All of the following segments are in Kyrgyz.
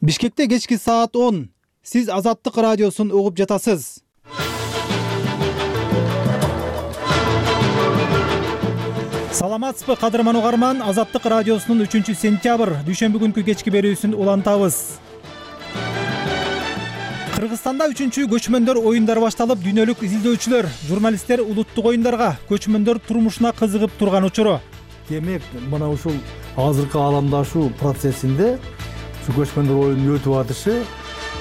Бишкекте кечки саат 10. Сиз Азаттык радиосун угуп жатасыз. Саламатсызбы кадырман угарман, Азаттык радиосунун 3-сентябрь дүйшөмбү күнкү кечки берүүсүн улантабыз. Кыргызстанда 3-көчмөндөр оюндары башталып, дүйнөлүк изилдөөчүлөр, журналисттер улуттук оюндарга, көчмөндөр турмушуна кызыгып турган учуру. Демек, мына ушул азыркы ааламдашуу процессинде ушу көчмөндөр оюнунун өтүп атышы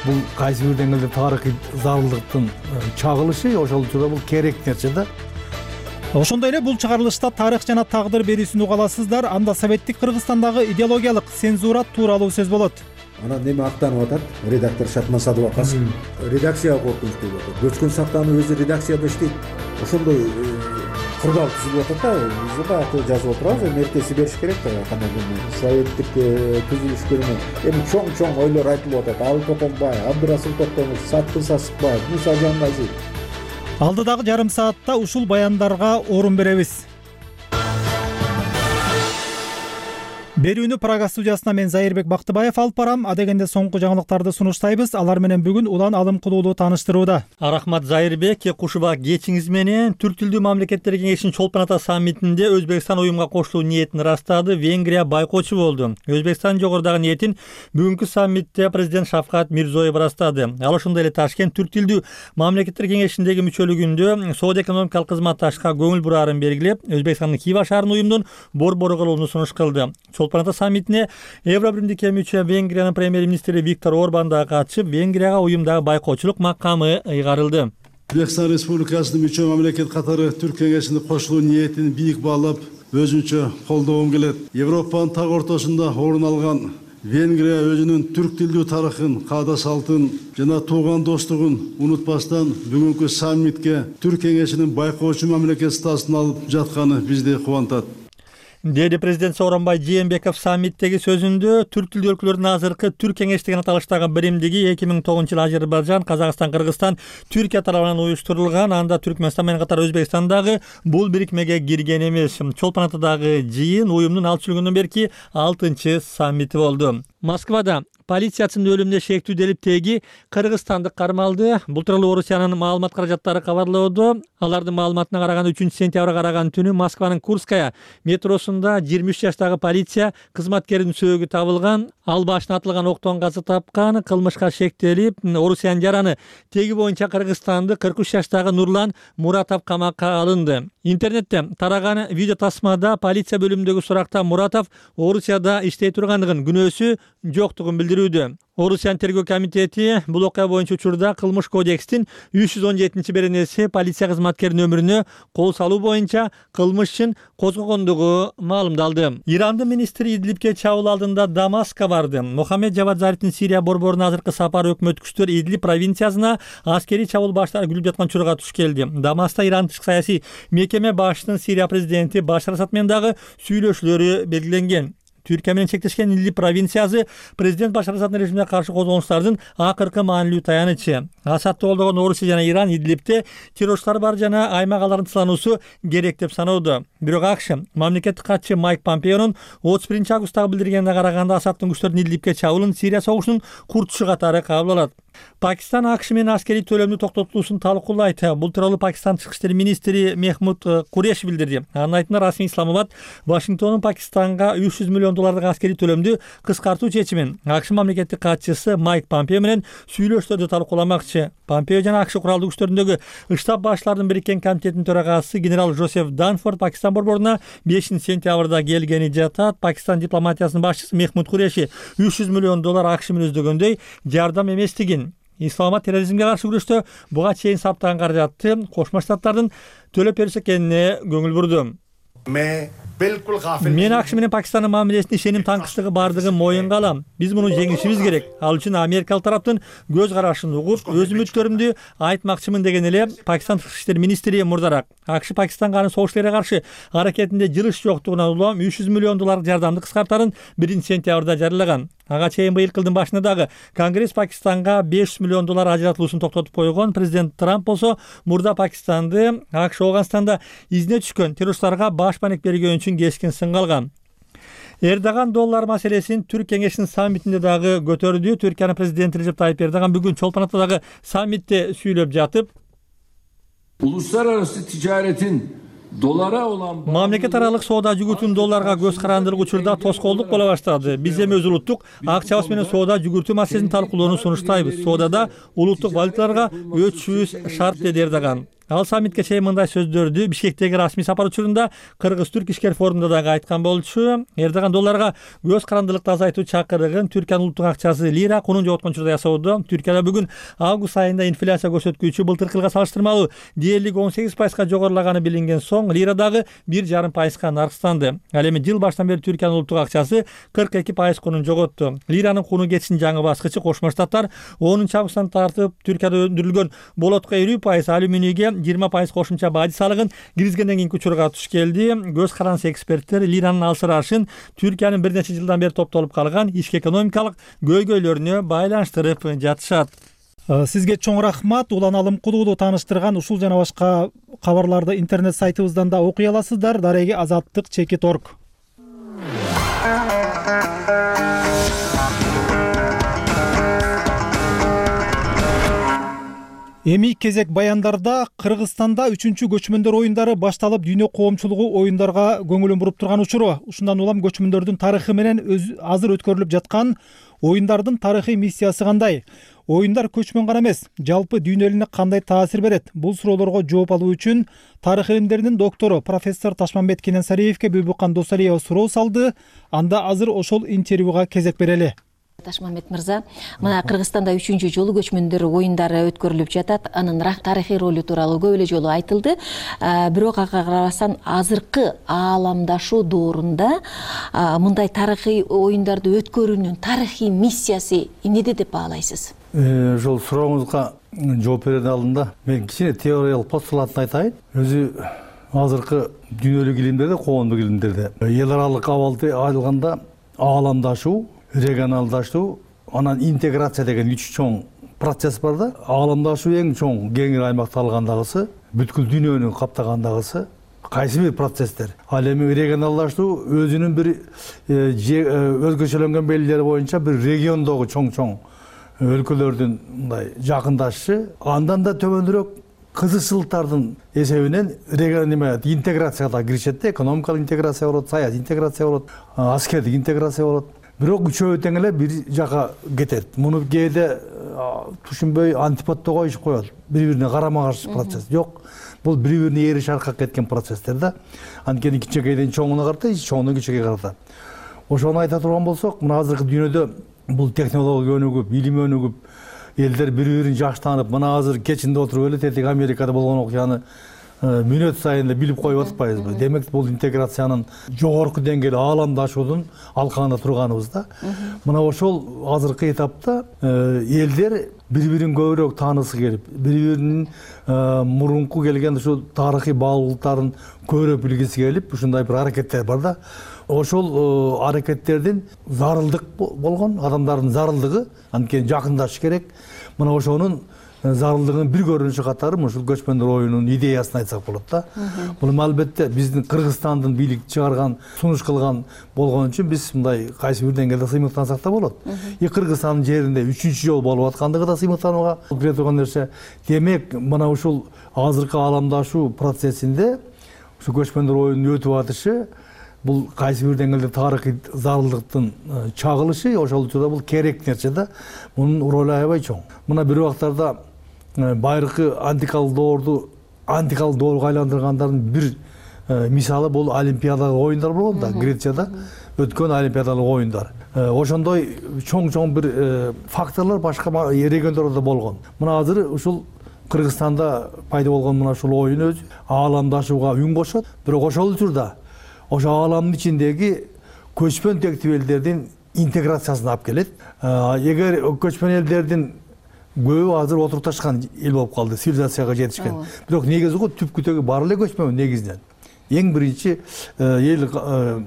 бул кайсы бир деңгээлде тарыхый зарылдыктын чагылышы, ошол учурда бул керек нерсе да. Ошондой эле бул чыгарылышта тарых жана тагдыр берүүсүн уга аласыздар. Анда советтик Кыргызстандагы идеологиялык цензура тууралуу сөз болот. Анан неме актанып атат? Редактор Шатман Садыбакасов. Редакцияга коркунуч деп атат. Көчкөн сактануу өзү редакцияда иштейт. Ошондой курбал түзүлүп атат да. Биз баягы жазып отурабыз, эртеси бериш керек да. Кандай советтик түзүлүшкөрүнө эми чоң ойлор айтылып атат. Алып Токонбай, Абдырасул Токтомуш, Саткын Сасыкбаев, Муса Жангазиев. Алдыдагы жарым саатта ушул баяндарга орун беребиз. Берүүнү Прага студиясына мен Зайырбек Бактыбаев алып барам. Адегенде соңку жаңылыктарды сунуштайбыз. Алар менен бүгүн улан алым кылуулуу тааныштырууда. Рахмат Зайырбек, кушуба кечиңиз менен Түрк тилдүү мамлекеттер кеңешинин Чолпон Ата саммитинде Өзбекстан уюмга кошулуу ниетин ырастады. Венгрия байкоочу болду. Өзбекстан жогорудагы ниетин бүгүнкү саммитте президент Шавкат Мирзиёев ырастады. Ал ошондой эле Ташкент Түрк тилдүү мамлекеттер кеңешиндеги мүчөлүгүндө соода-экономикалык кызматташка көңүл бурарын белгилеп, Өзбекстандын Хива шаарынын уюмдун борбору кылууну сунуш кылды. Чолпон Ата саммитине Евробиримдикке мүчө Венгриянын премьер-министри Виктор Орбан да катышып, Венгрияга уюмдагы байкоочулук макамы ыйгарылды. Өзбекстан Республикасынын мүчө мамлекет катары Түрк кеңешине кошулуу ниетин бийик баалап, өзүнчө колдогум келет. Европанын так ортосунда орун алган Венгрия өзүнүн түрк тилдүү тарыхын, каада салтын жана тууган достугун унутпастан бүгүнкү саммитке Түрк кеңешинин байкоочу мамлекет статусун алып жатканы бизди кубантат. Деди президент Сооронбай Жээнбеков саммиттеги сөзүндө түрк тилдүү өлкөлөрдүн азыркы Түрк кеңеш деген аталыштагы биримдиги 2009-жылы Азербайжан, Казакстан, Кыргызстан, Түркия тарабынан уюштурулган, анда Түркмөнстан менен катар Өзбекстан дагы бул бирикмеге кирген эмес. Чолпон Атадагы жыйын уюмдун ал чүлгүндөн берки 6-чы саммити болду. Москвада полициячынын өлүмүнө шектүүделип теги кыргызстандык кармалды. Бул тууралуу Орусиянын маалымат каражаттары кабарлоодо. Алардын маалыматына караганда 3-сентябрга караган түнү Москванын Курская метросунда 23 жаштагы полиция кызматкеринин сөөгү табылган. Ал башына атылган октон каза тапкан, кылмышка шектелип, Орусиянын жараны теги боюнча Кыргызстанды 43 жаштагы Нурлан Муратов камакка алынды. Интернетте тараган видео тасмада полиция бөлүмүндөгү суракта Муратов Орусияда иштей тургандыгын, күнөөсү жоктугун билдирүүдө. Орусиянын тергөө комитети бул окуя боюнча учурда Кылмыш кодекстин 317-беренеси полиция кызматкеринин өмүрүнө кол салуу боюнча кылмыш ишин козгогондугу маалымдалды. Ирандын министри Идлибке чабуул алдында Дамаскка барды. Мохаммед Жавад Зарифтин Сирия борборуна азыркы сапары өкмөт күчтөр Идлиб провинциясына аскерий чабуул баштап күлүп жаткан учурга туш келди. Дамаскта Иран тышкы саясий мекеме башчынын Сирия президенти Башар Асад менен дагы сүйлөшүүлөрү белгиленген. Түркия менен чектешкен Идлиб провинциясы президент Башар Асаддын режимине каршы козголуштардын акыркы маанилүү таянычы. Асадды колдогон Орусия жана Иран Идлибте террорчулар бар жана аймак алардын тылануусу керек деп саноодо. Бирок АКШ мамлекеттик катчы Майк Помпеонун 31-августтагы билдиргенине караганда Асаддын күчтөрүнүн Идлибке чабуулун Сирия согушунун куртушу катары кабыл алат. Пакистан АКШ менен аскерий төлөмдү токтотуусун талкуулайт. Бул тууралуу Пакистан тышкы иштер министри Мехмуд Куреш билдирди. Анын айтымында расмий Исламабад Вашингтондун Пакистанга $300 миллион аскерий төлөмдү кыскартуу чечимин АКШ мамлекеттик катчысы Майк Помпео менен сүйлөшүүлөрдү талкууламакчы. Помпео жана АКШ куралдуу күчтөрүндөгү штаб башчыларынын бириккен комитетинин төрагасы генерал Жозеф Данфорд Пакистан борборуна 5-сентябрда келгени жатат. Пакистан дипломатиясынын башчысы Мехмуд Куреши $300 миллион АКШ менен издөгөндөй жардам эместигин, Исламабад терроризмге каршы күрөштө буга чейин саптаган каражатты Кошмо Штаттардын төлөп берсе экенине көңүл бурду. Мен АКШ менен Пакистандын мамилесине ишеним таңкычтыгы бардыгын моюнга алам. Биз муну жеңишибиз керек. Ал үчүн америкалык тараптын көз карашын угуп, өз үмүттөрүмдү айтмакчымын деген эле Пакистан тышкы иштер министри мурдараак. АКШ Пакистанга анын согуштарга каршы аракетинде жылыш жоктугуна улам $300 миллион жардамды кыскартарын 1-сентябрда жарыялаган. Ага чейин быйыл жылдын башында дагы Конгресс Пакистанга $500 миллион ажыратылуусун токтотуп койгон. Президент Трамп болсо мурда Пакистанды АКШ Афганстанда изине түшкөн террорчуларга баш маек бергөн үчүн кескин сынга алган. Эрдоган доллар маселесин Түрк кеңешинин саммитинде дагы көтөрдү. Түркиянын президенти Режеп Тайип Эрдоган бүгүн Чолпон Атадагы саммитте сүйлөп жатып, uluslararası ticaretin dolara olan мамлекет аралык соода жүгүртүүнүн долларга көз карандыруу учурда тоскоолдук боло баштады. Биз эми өз улуттук акчабыз менен соода жүгүртүү маселесин талкуулоону сунуштайбыз. Соодада улуттук валюталарга өтүшүбүз шарт, деди Эрдоган. Ал саммитке чейин мындай сөздөрдү Бишкектеги расмий сапар учурунда Кыргыз-Түрк ишкер форумунда дагы айткан болчу. Эрдоган долларга көз карандылыкты азайтуу чакырыгын Түркиянын улуттук акчасы лира кунун жоготкон учурда ясоодо. Түркияда бүгүн август айында инфляция көрсөткүчү былтыркы жылга салыштырмалуу дээрлик 18% жогорулаганы билинген соң лира дагы 1,5% наркстанды. Ал эми жыл башынан бери Түркиянын улуттук акчасы 42% кунун жоготту. Лиранын куну кетишинин жаңы баскычы Кошмо Штаттар 10-августтан тартып Түркияда өндүрүлгөн болотко 50%, алюминийге 20% кошумча бажы салыгын киргизгенден кийинки учурга туш келди. Көз карансы эксперттер лиранын алсырашын Түркиянын бир нече жылдан бери топтолуп калган ички экономикалык көйгөйлөрүнө байланыштырып жатышат. Сизге чоң рахмат. Улан Алым Кулуулу тааныштырган ушул жана башка кабарларды интернет сайтыбыздан да окуй аласыздар. Дареги Азаттык.org. Эми кезек баяндарда Кыргызстанда 3-чү көчмөндөр оюндары башталып, дүйнө коомчулугу оюндарга көңүлүн буруп турган учуру. Ушундан улам көчмөндөрдүн тарыхы менен азыр өткөрүлүп жаткан оюндардын тарыхый миссиясы кандай? Оюндар көчмөн гана эмес, жалпы дүйнө элине кандай таасир берет? Бул суроолорго жооп алуу үчүн тарых илимдеринин доктору профессор Ташмамбет Кененсариевке Бүбүкан Досалиева суроо салды. Анда азыр ошол интервьюга кезек берели. Ташмамбет мырза, мына Кыргызстанда 3-чү жолу көчмөндөр оюндары өткөрүлүп жатат. Анын тарыхый ролу тууралуу көп эле жолу айтылды. Бирок ага карабастан азыркы ааламдашуу доорунда мындай тарыхый оюндарды өткөрүүнүн тарыхый миссиясы эмнеде деп баалайсыз? Ошол сурооңузга жооп берердин алдында мен кичине теориялык постулатын айтайын. Өзү азыркы дүйнөлүк илимдерде, коомдук илимдерде эл аралык абалды алганда ааламдашуу, регионалдашуу, анан интеграция деген 3 чоң процесс бар да. Ааламдашуу эң чоң кеңири аймакты алгандагысы, бүткүл дүйнөнү каптагандагысы кайсы бир процесстер. Ал эми регионалдашуу өзүнүн бир өзгөчөлөнгөн белгилери боюнча бир региондогу чоң өлкөлөрдүн мындай жакындашышы, андан да төмөнүрөөк кызыкчылыктардын эсебинен интеграцияга киришет да. Экономикалык интеграция болот, саясий интеграция болот, аскердик интеграция болот. Бирок үчөө тең эле бир жака кетет. Муну кээде түшүнбөй антиподто коюшуп коет. Бири-бирине карама-каршы процесс. Жок, бул бири-бирине эри шаркак кеткен процесстер да. Анткени кичинекейден чоңуна карата, чоңдон кичинекейге карата. Ошону айта турган болсок, мына азыркы дүйнөдө бул технология өнүгүп, илим өнүгүп, элдер бири-бирин жакшы таанып, мына азыр кечинде отуруп эле тетиги Америкада болгон окуяны мүнөт сайын эле билип коюп атпайбызбы? Демек бул интеграциянын жогорку деңгээли ааламдашуунун алкагында турганыбыз да. Мына ошол азыркы этапта элдер бири-бирин көбүрөөк таанысы келип, бири-биринин мурунку келген ушул тарыхый баалуулуктарын көбүрөөк билгиси келип, ушундай бир аракеттер бар да. Ошол аракеттердин зарылдык болгон, адамдардын зарылдыгы, анткени жакындашыш керек. Мына ошонун зарылдыгынын бир көрүнүшү катары ушул көчмөндөр оюнунун идеясын айтсак болот да. Бул албетте биздин Кыргызстандын бийлик чыгарган, сунуш кылган болгон үчүн биз мындай кайсы бир деңгээлде сыймыктансак да болот. Кыргызстандын жеринде 3-чү жол болуп аткандыгы да сыймыктанууга кире турган нерсе. Демек, мына ушул азыркы ааламдашуу процессинде ушул көчмөндөр оюнунун өтүп атышы бул кайсы бир деңгээлде тарыхый зарылдыктын чагылышы, ошол учурда бул керек нерсе да. Мунун ролу аябай чоң. Мына бир убактарда байыркы антикалык доорго айландыргандардын бир мисалы бул олимпиадалык оюндар болгон да, Грецияда өткөн олимпиадалык оюндар. Ошондой чоң бир факторлор башка региондордо да болгон. Мына азыр ушул Кыргызстанда пайда болгон мына ушул оюн өзү ааламдашууга үн кошот. Бирок ошол учурда ошо ааламдын ичиндеги көчмөн тектүү элдердин интеграциясын алып келет. Эгер көчмөн элдердин көбү азыр отурукташкан эл болуп калды, цивилизацияга жетишкен. Бирок негизи түпкүтөгү бар эле көчмөн негизинен. Эң биринчи эл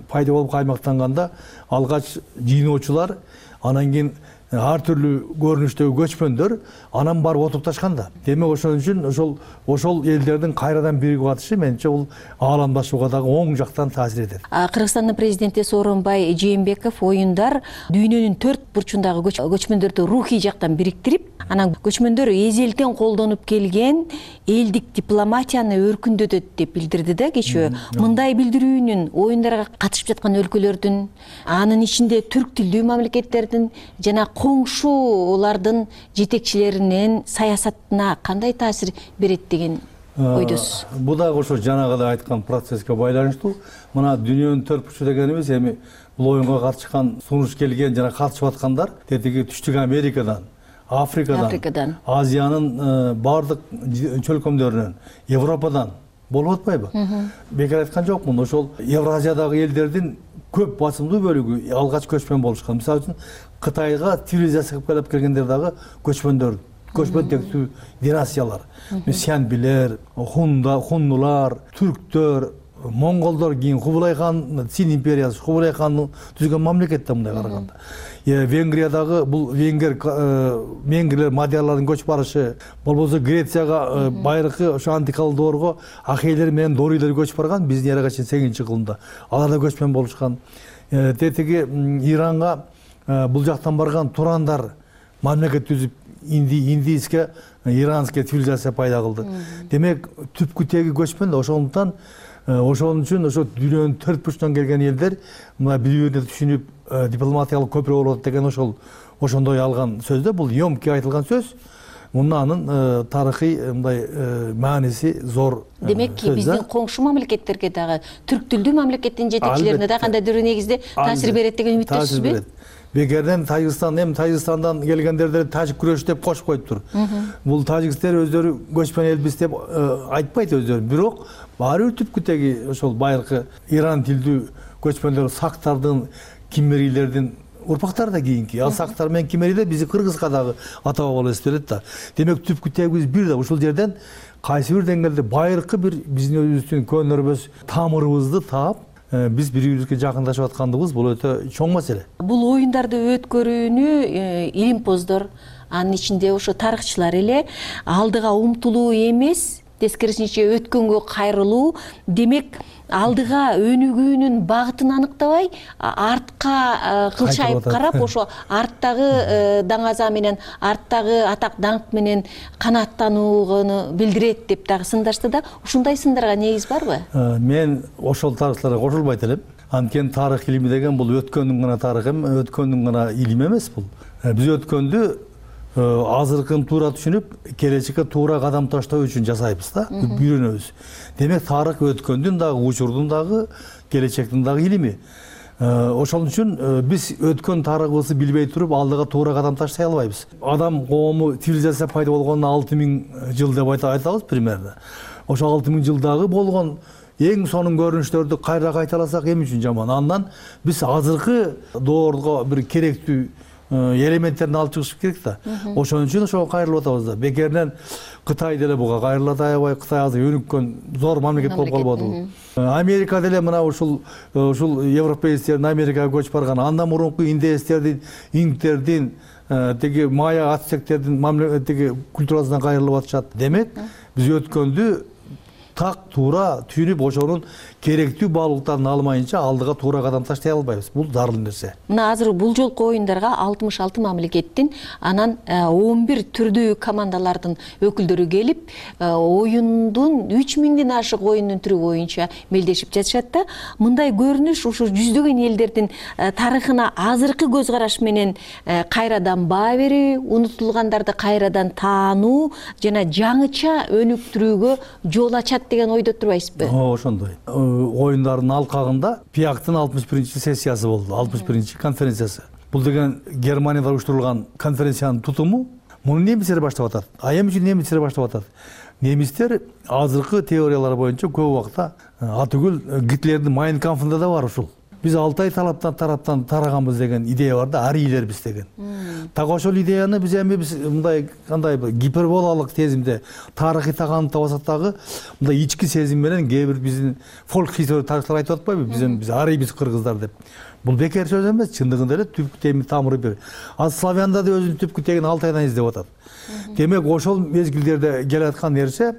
пайда болуп каймактанганда алгач жыйноочулар, анан кийин ар түрдүү көрүнүштөгү көчмөндөр анан барып отурупташкан да. Демек ошон үчүн ошол элдердин кайрадан биригип атышы менимче бул ааламдашууга дагы оң жактан таасир этет. Кыргызстандын президенти Сооронбай Жээнбеков оюндар дүйнөнүн 4 бурчундагы көчмөндөрдү рухий жактан бириктирип, анан көчмөндөр эзелтен колдонуп келген элдик дипломатияны өркүндөтөт деп билдирди да кечээ. Мындай билдирүүнүн оюндарга катышып жаткан өлкөлөрдүн, анын ичинде түрк тилдүү мамлекеттердин жана коңшулардын жетекчилеринин саясатына кандай таасир берет деген ойдосуз? Бул дагы ошо жанагыдай айткан процесске байланыштуу. Мына дүйнөнүн 4 бурчу дегенибиз эми бул оюнга катышкан, сунуш келген жана катышып аткандар тетиги Түштүк Америкадан, Африкадан, Азиянын баардык чөлкөмдөрүнөн, Европадан болуп атпайбы? Бекер айткан жокмун. Ошол Евразиядагы элдердин көп басымдуу бөлүгү алгач көчмөн болушкан. Мисалы үчүн Кытайга цивилизация кылып келгендер дагы көчмөндөр, көчмөн тектүү династиялар. Сянбилер, хуннулар, түрктөр, монголдор, кийин Кубулай хан, Цин империясы, Кубулай хандын түзгөн мамлекет да мындай караганда. Венгриядагы бул венгрлер мадиярлардын көчүп барышы, болбосо Грецияга байыркы ошо антикалык доорго ахейлер менен дорийлер көчүп барган, биздин эрага чейин 8-кылымда. Алар да көчмөн болушкан. Тетиги Иранга бул жактан барган турандар мамлекет түзүп индийский, иранский цивилизация пайда кылды. Демек түпкү теги көчмөн да, ошондуктан ошон үчүн ошо дүйнөнүн 4 бурчунан келген элдер мына бири-бирине түшүнүп дипломатиялык көпүрө болот деген ошондой алган сөз да. Бул ёмкий айтылган сөз. Анын тарыхый мындай мааниси зор. Демек биздин коңшу мамлекеттерге дагы, түрк тилдүү мамлекеттин жетекчилерине да кандайдыр негизде таасир берет деген үмүттөсүзбү? Бекерден Тажикстандан келгендерди тажик күрөшү деп кошуп коюптур. Бул тажиктер өздөрү көчмөн элбиз деп айтпайт өздөрү. Бирок баары бир түпкү теги ошол байыркы Иран тилдүү көчмөндөр, сактардын, киммерийлердин урпактары да кийинки. Ал сактар менен киммерийлер бизи кыргызга дагы ата баба эстелет да. Демек түпкү тегибиз бир да. Ушул жерден кайсы бир деңгээлде байыркы бир биздин өзүбүздүн көнөрбөс тамырыбызды таап, биз бири-бирибизге жакындашып аткандыгыбыз бул өтө чоң маселе. Бул оюндарды өткөрүүнү илимпоздор, анын ичинде ошо тарыхчылар эле алдыга умтулуу эмес, тескерисинче өткөнгө кайрылуу, демек алдыга өнүгүүнүн багытын аныктабай, артка кылчайып карап, ошо арттагы даңаза менен, арттагы атак даңк менен канааттанууну билдирет деп дагы сындашты да. Ушундай сындарга негиз барбы? Мен ошол тарыхчыларга кошулбайт элем. Анткени тарых илими деген бул өткөндүн гана тарыхы, өткөндүн гана илими эмес бул. Биз өткөндү азыркын туура түшүнүп, келечекке туура кадам таштоо үчүн жасайбыз да, үйрөнөбүз. Демек тарых өткөндүн дагы, учурдун дагы, келечектин дагы илими. Ошол үчүн биз өткөн тарыхыбызды билбей туруп, алдыга туура кадам таштай албайбыз. Адам коому цивилизация пайда болгонуна 6000 жыл деп айтабыз примерно. Ошо 6000 жылдагы болгон эң сонун көрүнүштөрдү кайра кайталасак эми үчүн жаман. Андан биз азыркы доорго бир керектүү элементтерин алып чыгыш керек да. Ошон үчүн ошого кайрылып атабыз да. Бекеринен Кытай деле буга кайрылат аябай. Кытай азыр өнүккөн зор мамлекет болуп калбадыбы? Америка деле мына ушул европеецтердин Америкага көчүп барган, андан мурунку индеецтердин, инктердин, теги майя ацтектердин мамлекеттеги культурасынан кайрылып атышат. Демек, биз өткөндү так туура түшүнүп, ошонун керектүү баалуулуктарын алмайынча алдыга туура кадам таштай албайбыз. Бул зарыл нерсе. Мына азыр бул жолку оюндарга 66 мамлекеттин, анан 11 түрдүү командалардын өкүлдөрү келип, оюндун 3000ден ашык оюндун түрү боюнча мелдешип жатышат да. Мындай көрүнүш ушу жүздөгөн элдердин тарыхына азыркы көз караш менен кайрадан баа берүү, унутулгандарды кайрадан таануу жана жаңыча өнүктүрүүгө жол ачат деген ойдо турбайсызбы? Ошондой. Оюндардын алкагында ПИАКтын 61-чи сессиясы болду, 61-чи конференциясы. Бул деген Германияда уюштурулган конференциянын тутуму. Муну немистер баштап атат. Эми үчүн немистер баштап атат. Немистер азыркы теориялар боюнча көп убакта атүгүл Гитлердин Mein Kampf'ында да бар ушул. биз Алтай тараптан тараганбыз деген идея бар да, арийлербиз деген. Так ошол идеяны биз мындай кандай гиперболалык сезимде тарыхый тагандап алсак дагы мындай ички сезим менен кээ бир биздин фолк история тарыхчылар айтып атпайбы, биз арийбиз кыргыздар деп. Бул бекер сөз эмес, чындыгында эле түпкү теми тамыры бир. Ал славяндар да өзүнүн түпкү тегин Алтайдан издеп атат. Демек ошол мезгилдерде келаткан нерсе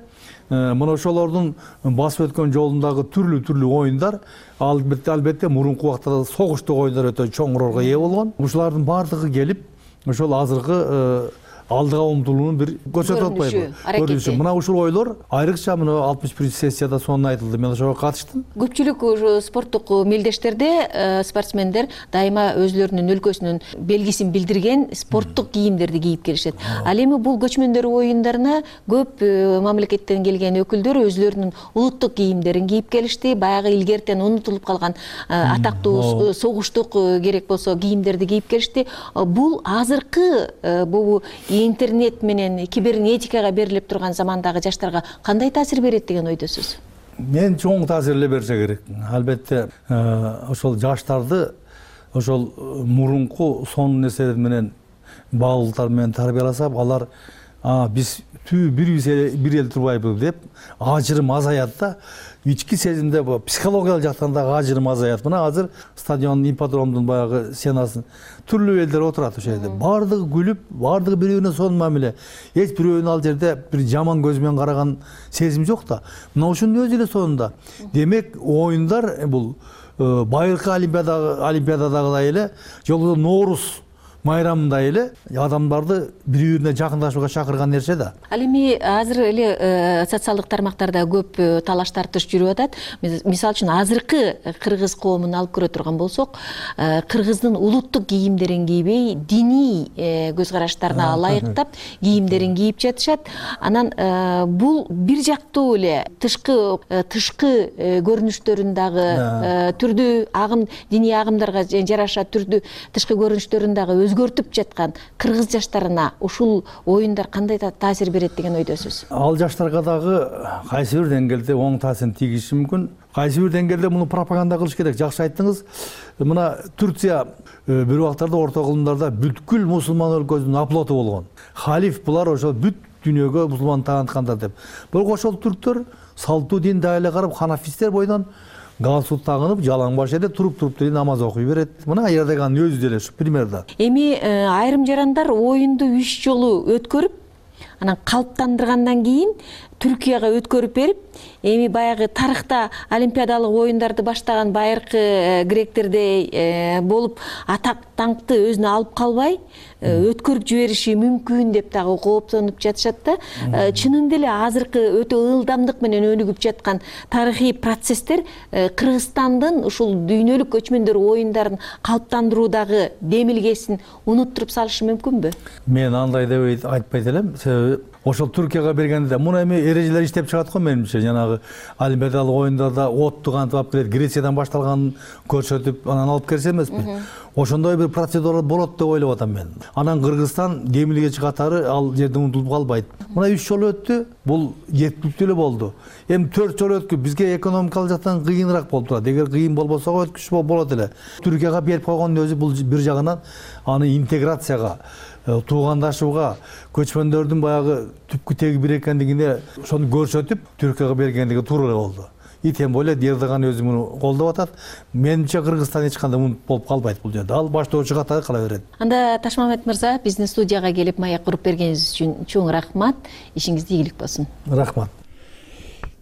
мына ошолордун басып өткөн жолундагы түрлүү оюндар, албетте мурунку убактарда согуштук оюндар өтө чоң ролго ээ болгон. Ушулардын баардыгы келип ошол азыркы алдыга умтулуунун бир көрсөтүп атпайбы, көрүнүшү. Мына ушул ойлор айрыкча мына 61 сессияда сонун айтылды. Мен ошого катыштым. Көпчүлүк спорттук мелдештерде спортсмендер дайыма өзүлөрүнүн өлкөсүнүн белгисин билдирген спорттук кийимдерди кийип келишет. Ал эми бул көчмөндөр оюндарына көп мамлекеттен келген өкүлдөр өзүлөрүнүн улуттук кийимдерин кийип келишти. Баягы илгертен унутулуп калган атактуу согуштук керек болсо кийимдерди кийип келишти. Бул азыркы бул интернет менен кибернетикага берилип турган замандагы жаштарга кандай таасир берет деген ойдосуз? Мен чоң таасир эле берсе керек. Албетте ошол жаштарды ошол мурунку сонун нерселер менен баалуулуктар менен тарбияласак, алар биз бир эл турбайбыз деп ажырым азаят да. Ички сезимде психологиялык жактан дагы ажырым азаят. Мына азыр стадион ипподромдун баягы стенасын түрлүү элдер отурат ошол жерде. Бардыгы күлүп, бардыгы бири-бирине сонун мамиле. Эч бирөөнүн ал жерде бир жаман көз менен караган сезим жок да. Мына ушунун өзү эле сонунда. Демек оюндар бул байыркы олимпиададагыдай эле, жолдо Ноорус майрамындай эле адамдарды бири-бирине жакындашууга чакырган нерсе да. Ал эми азыр эле социалдык тармактарда көп талаш тартыш жүрүп атат. Мисалы үчүн азыркы кыргыз коомун алып көрө турган болсок, кыргыздын улуттук кийимдерин кийбей, диний көз караштарына ылайыктап кийимдерин кийип жатышат. Анан бул бир жактуу эле тышкы көрүнүштөрүн дагы түрдүү диний агымдарга жараша түрдүү тышкы көрүнүштөрүн дагы өзгөртүп жаткан кыргыз жаштарына ушул оюндар кандай таасир берет деген ойдосуз? Ал жаштарга дагы кайсы бир деңгээлде оң таасирин тийгизиши мүмкүн. Кайсы бир деңгээлде муну пропаганда кылыш керек. Жакшы айттыңыз. Мына Турция бир убактарда орто кылымдарда бүткүл мусулман өлкөсүнүн аплоту болгон. Халиф булар ошол бүт дүйнөгө мусулман тааныткандар деп. Бирок ошол түрктөр салттуу дин дайылы карап, ханафисттер бойдон галстук тагынып, жалаң баш эле туруп деле намаз окуй берет. Мына Эрдоган өзү деле ушу примерда. Эми айрым жарандар оюнду 3 жолу өткөрүп, анан калыптандыргандан кийин Түркияга өткөрүп берип, эми баягы тарыхта олимпиадалык оюндарды баштаган байыркы гректердей болуп атак даңкты өзүнө алып калбай өткөрүп жибериши мүмкүн деп дагы кооптонуп жатышат да. Чынында эле азыркы өтө ылдамдык менен өнүгүп жаткан тарыхый процесстер Кыргызстандын ушул дүйнөлүк көчмөндөр оюндарын калыптандыруудагы демилгесин унуттуруп салышы мүмкүнбү? Мен андай деп айтпайт элем. Себеби ошол Түркияга бергенде муну эми эрежелер иштеп чыгат го менимче. Жанагы олимпиадалык оюндарда отту кантип алып келет, Грециядан башталганын көрсөтүп, анан алып келсе эмеспи? Ошондой бир процедура болот деп ойлоп атам мен. Анан Кыргызстан демилгечи катары ал жерде унутулуп калбайт. Мына 3 жол өттү, бул жетиптүү эле болду. Эми 4 жол өткү, бизге экономикалык жактан кыйыныраак болуп турат. Эгер кыйын болбосо өткүч болот эле. Түркияга берип койгондун өзү бул бир жагынан аны интеграцияга, туугандашууга, көчмөндөрдүн баягы түпкү теги бир экендигине ошону көрсөтүп Түркияга бергендиги туура эле болду. И тем более Эрдоган өзү муну колдоп атат. Менимче Кыргызстан эч кандай мунут болуп калбайт бул жерде. Ал баштоочу катары кала берет. Анда Ташмамет мырза, биздин студияга келип маек куруп бергениңиз үчүн чоң рахмат. Ишиңизде ийгилик болсун. Рахмат.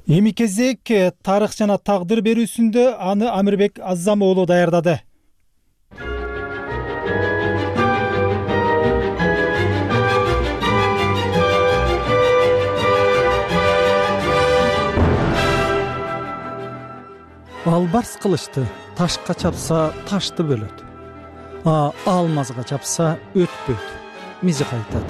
Эми кезек тарых жана тагдыр берүүсүндө аны Амирбек Аззам уулу даярдады. Албарс кылычты ташка чапса ташты бөлөт. Алмазга чапса өтпөйт. Мизик айтат.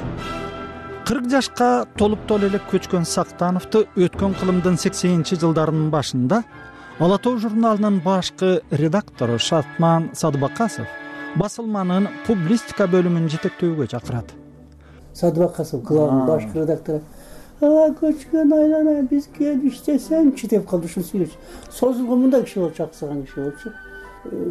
40 жашка толуп эле көчкөн Сактановду өткөн кылымдын 80-жылдарынын башында Ала Тоо журналынын башкы редактору Шартман Садыбакасов басылманын публистика бөлүмүн жетектөөгө чакырат. Садыбакасов клубунун башкы редактору көчкөн айлана биз келип иштесеңчи деп калды, ушул сүйлөчү. Созулгон мындай киши болчу, аксаган киши болчу.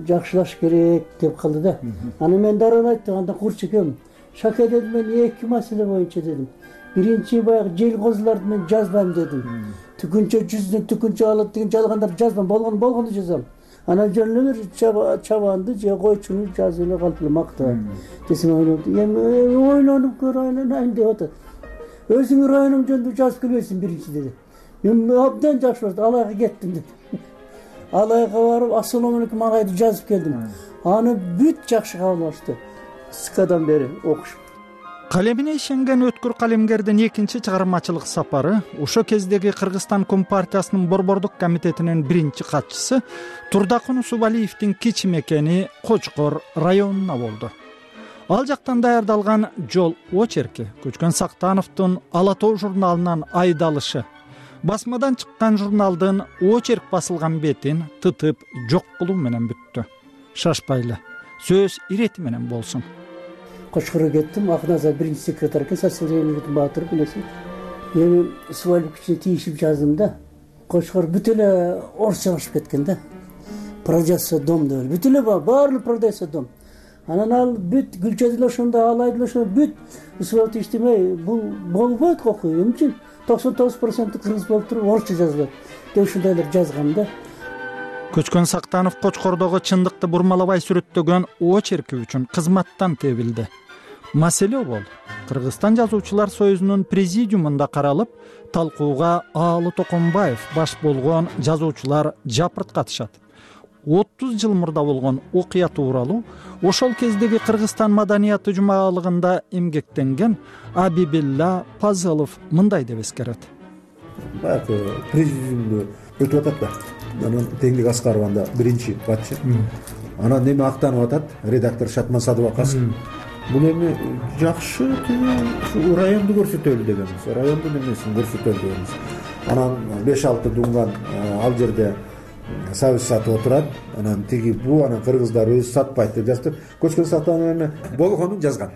жакшылаш керек деп калды да. Аны мен дароо айттым, анда Курчекем, Шаке дедим, мен 2 маселе боюнча дедим. Биринчи баягы жел козуларды мен жазбайм дедим. Түкүнчө жүздөн түкүнчө алат деген жалгандарды жазбайм, болгону жазам. Анан жөн эле чабанды же койчуну жазып эле калып эле мактап. Десем ойлонуп көр, ойлонайын деп атат. Өзүңүн районуң жөнүндө жазып келбейсиң биринчи деди. Мен абдан жакшы болду, Алайга кеттим деди. Алайга барып Ассалому алейкум агайды жазып келдим. Аны бүт жакшы кабыл алышты. Скадан бери окуш. Калемине ишенген өткүр калемгердин экинчи чыгармачылык сапары ошо кездеги Кыргызстан Компартиясынын Борбордук комитетинин биринчи катчысы Турдакун Усубалиевдин кичи мекени Кочкор районуна болду. Ал жактан даярдалган жол очерки Көчкөн Сактановдун Ала Тоо журналынан айдалышы басмадан чыккан журналдын очерк басылган бетин тытып жок кылуу менен бүттү. Шашпайлы, сөз ирети менен болсун. Кочкорго кеттим, Акназар биринчи секретарь экен, социалдык баатыр билесиң. Эми свалбикчи тийишип жаздым да. Кочкор бүт эле орусча башып кеткен да. Продается дом деп, бүт эле баары продается дом. Анан ал бүт Гүлча деле ошондо, Алай деле ошондо бүт свалбик иштемей, бул болбойт окуу. Эмне үчүн 99% кыргыз болуп туруп орусча жазылат деп ушундайлар жазгам да. Көчкөн Сактанов Кочкордогу чындыкты бурмалабай сүрөттөгөн очерки үчүн кызматтан тебилди. Маселе бол Кыргызстан жазуучулар союзунун президиумунда каралып, талкууга Аалы Токонбаев баш болгон жазуучулар жапырт катышат. 30 жыл мурда болгон окуя тууралуу ошол кездеги Кыргызстан маданияты жумалыгында эмгектенген Абибилла Пазылов мындай деп эскерет. Баягы президиумду өтүп атат да. Анан Теңдик Аскарованда биринчи катчы. Анан эми актанып атат редактор Шатман Садыбакасов. Бул эми жакшы ушу районду көрсөтөлү дегенбиз. Райондун эмесин көрсөтөлү дегенбиз. Анан 5-6 дунган ал жерде сабыз сатып отурат. Анан тиги бу анан кыргыздар өзү сатпайт деп жазып. Көчкөн Сактанов эми болгонун жазган.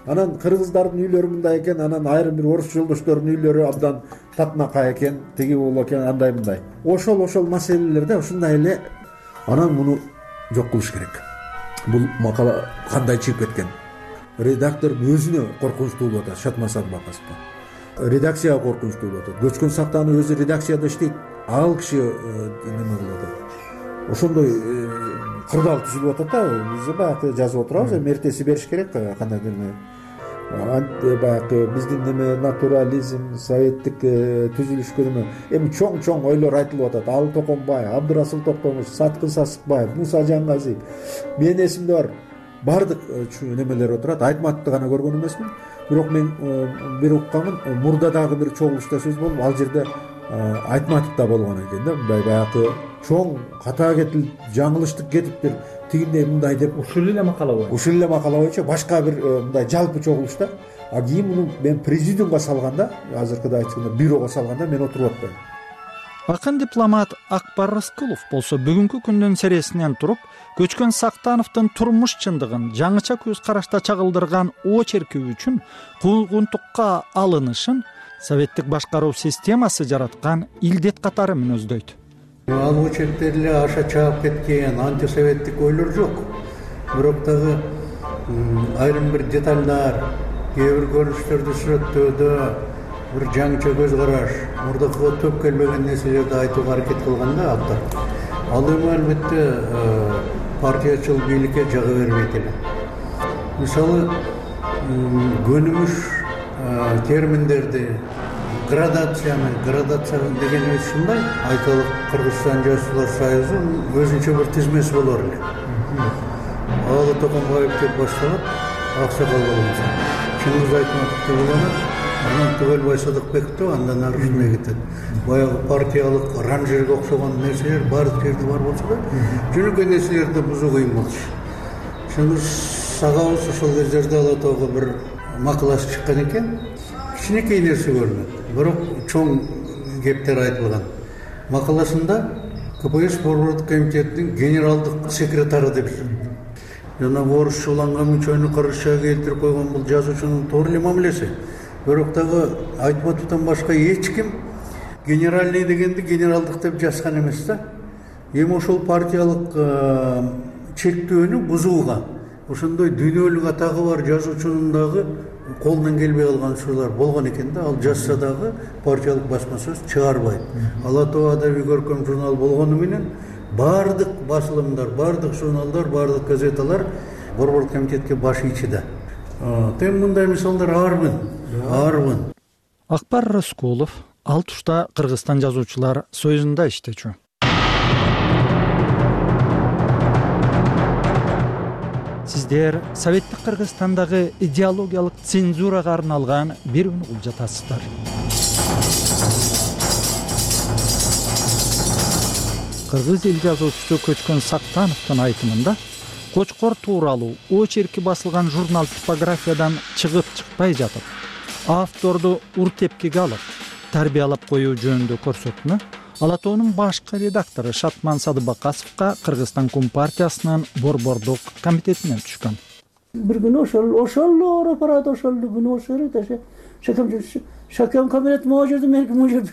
Анан кыргыздардын үйлөрү мындай экен, анан айрым бир орус жолдоштордун үйлөрү абдан татынакай экен, тиги бул экен, андай мындай. Ошол маселелерде ушундай эле анан муну жок кылыш керек. Бул макала кандай чыгып кеткен? Редактордун өзүнө коркунучтуу болуп атат, Шатман Садыбакасовго. Редакцияга коркунучтуу болуп атат. Көчкөн Сактанов өзү редакцияда иштейт. Ал киши неме кылып атат. Ошондой кырдаал түзүлүп атат да, биз баягы жазып отурабыз, эртеси бериш керек, кандай деме. Баягы биздин неме натурализм, советтик түзүлүшкө неме эми чоң ойлор айтылып атат. Аалы Токонбаев, Абдырасыл Токтомуш, Саткын Сасыкбаев, Муса Жангазиев. Менин эсимде бар. Бардык немелер отурат. Айтматовду гана көргөн эмесмин. Бирок мен бир укканмын, мурда дагы бир чогулушта сөз болуп, ал жерде Айтматов да болгон экен да, мындай баягы чоң ката кетип, жаңылыштык кетиптир, тигиндей мындай деп. Ушул эле макала боюнча башка бир мындай жалпы чогулушта. А кийин муну мен президиумга салганда, азыркыда айтканда бюрого салганда мен отуруп атпайм. Акын дипломат Акбар Рыскулов болсо бүгүнкү күндүн сересинен туруп, Көчкөн Сактановдун турмуш чындыгын жаңыча көз карашта чагылдырган очерки үчүн куугунтукка алынышын советтик башкаруу системасы жараткан илдет катары мүнөздөйт. Ал очеркте эле аша чаап кеткен антисоветтик ойлор жок. Бирок дагы айрым бир детальдар, кээ бир көрүнүштөрдү сүрөттөөдө бир жаңыча көз караш, мурдакыга төп келбеген нерселерди айтууга аракет кылган да автор. Ал эми албетте партиячыл бийликке жага бербейт эле. Мисалы, көнүмүш терминдерди, градация дегенибиз ушундай. Айталык Кыргызстан жазуучулар союзу өзүнчө бир тизмеси болор эле. Аалы Токонбаев деп башталат, Аксакал болгончо. Чыңгыз Айтматов деп уланат, анан Түгөлбай Садыкбеков андан ары ушундай кетет. Баягы партиялык ранжерге окшогон нерселер баардык жерде бар болсо да, жөнөкөй нерселерди бузуу кыйын болчу. Чыңгыз агабыз ошол кездерде Ала Тоого бир макаласы чыккан экен. Кичинекей нерсе көрүнөт, бирок чоң кептер айтылган. Макаласында КПСС Борбордук комитетинин генералдык секретары деп жана орусча уланган мүчөнү кыргызчага келтирип койгон бул жазуучунун туура эле мамилеси. Бирок дагы Айтматовдон башка эч ким генеральный дегенди генералдык деп жазган эмес да. эми ошол партиялык чектөөнү бузууга, ошондой дүйнөлүк атагы бар жазуучунун дагы колунан келбей калган учурлар болгон экен да. Ал жазса дагы партиялык басма сөз чыгарбайт. Ала Тоо адабий көркөм журнал болгону менен баардык басылымдар, баардык журналдар, баардык газеталар борбордук комитетке баш ийчи да. Тем мындай мисалдар арбын. Акбар Рыскулов ал тушта Кыргызстан жазуучулар союзунда иштечү. Сиздер Советтик Кыргызстандагы идеологиялык цензурага арналган бир үн угуп жатасыздар. Кыргыз эл жазуучусу Көчкөн Сактановдун айтымында Кочкор тууралуу очерки басылган журнал типографиядан чыгып чыкпай жатып, авторду ур-тепкиге алып, тарбиялап коюу жөнүндө көрсөтмө Ала Тоонун башкы редактору Шатман Садыбакасовго Кыргызстан Компартиясынын борбордук комитетинен түшкөн. Bir gün ошол ооруп барат, ошол күнү ошол шакам кабинет могу жерде меники могу жерде.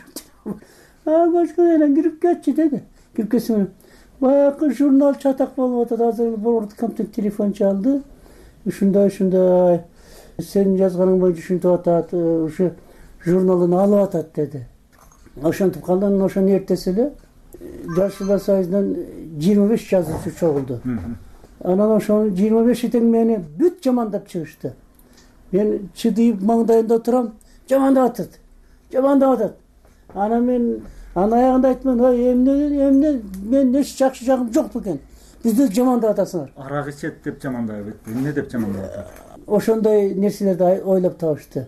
Көчкөн кирип кетчи деди. Кирип кетсем, баягы журнал чатак болуп атат. Азыр борбордук комитет телефон чалды. Ушундай сенин жазганың боюнча ушинтип атат, ушу журналын алып атат деди. Ошентип калдан ошону эртеси эле Жазуучулар союзунан 25 жазуучу чогулду. Анан ошонун 25 тең мени бүт жамандап чыгышты. Мен чыдыйып маңдайында турам, жамандап атат. Анан мен аягында айттым, эмне мен эч жакшы жагым жок бекен. Бизди жамандап атасыңар. Арак ичет деп жамандап атат. Эмне деп жамандап атат? Ошондой нерселерди ойлоп табышты.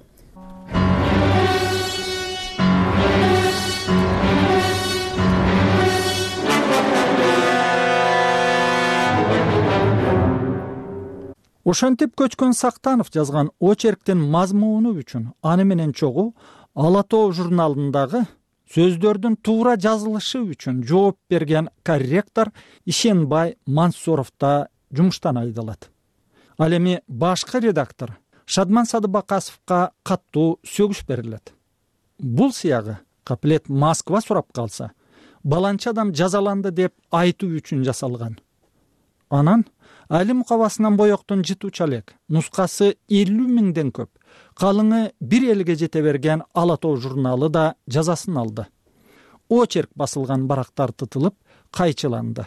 Ошентип Көчкөн Сактанов жазган очерктин мазмуну үчүн аны менен чогуу Ала Тоо журналындагы сөздөрдүн туура жазылышы үчүн жооп берген корректор Ишенбай Мансуров да жумуштан айдалат. Ал эми башкы редактор Шадман Садыбакасовго каттуу сөгүш берилет. Бул сыягы каплет Москва сурап калса, баланча адам жазаланды деп айтуу үчүн жасалган. Анан Али мукабасынан боектун жытуучу элек нускасы 50 миңден көп, калыңы 1 элге жете берген Ала Тоо журналы да жазасын алды. Очерк басылган барактар тытылып, кайчыланды.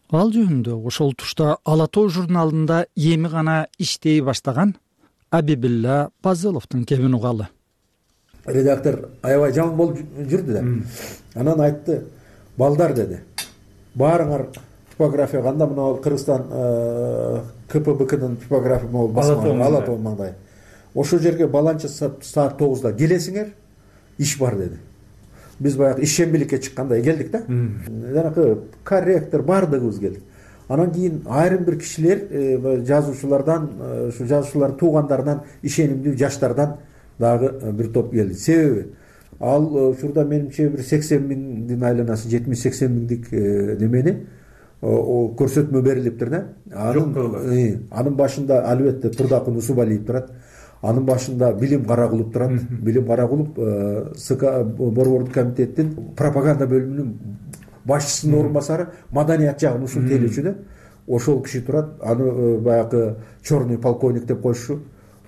Ал жөнүндө ошол тушта Ала Тоо журналында эми гана иштей баштаган Абибилла Пазыловдун кебин угалы. Редактор аябай жаман болуп жүрдү да. Анан айтты, балдар деди. Баарыңар типография кандай мына Кыргызстан КПБКнын типография могу басма Ала Тоо маңдай. Ошол жерге баланча саат 9-да келесиңер, иш бар деди. Биз баягы ишембиликке чыккандай келдик да. Жанакы корректор бардыгыбыз келдик. Анан кийин айрым бир кишилер жазуучулардан, ушу жазуучулар туугандарынан, ишенимдүү жаштардан дагы бир топ келди. Себеби ал ушурда менимче бир 80 миңдин айланасы, 70-80 миңдик немени көрсөтмө берилиптир да. Анын башында албетте Турдакын Усубалиев турат. Анын башында Билим Каракулов турат. Билим Каракулов борбордук комитеттин пропаганда бөлүмүнүн башчысынын орун басары, маданият жагын ушул тейлөөчү да. Ошол киши турат. Аны баягы черный полковник деп коюшу.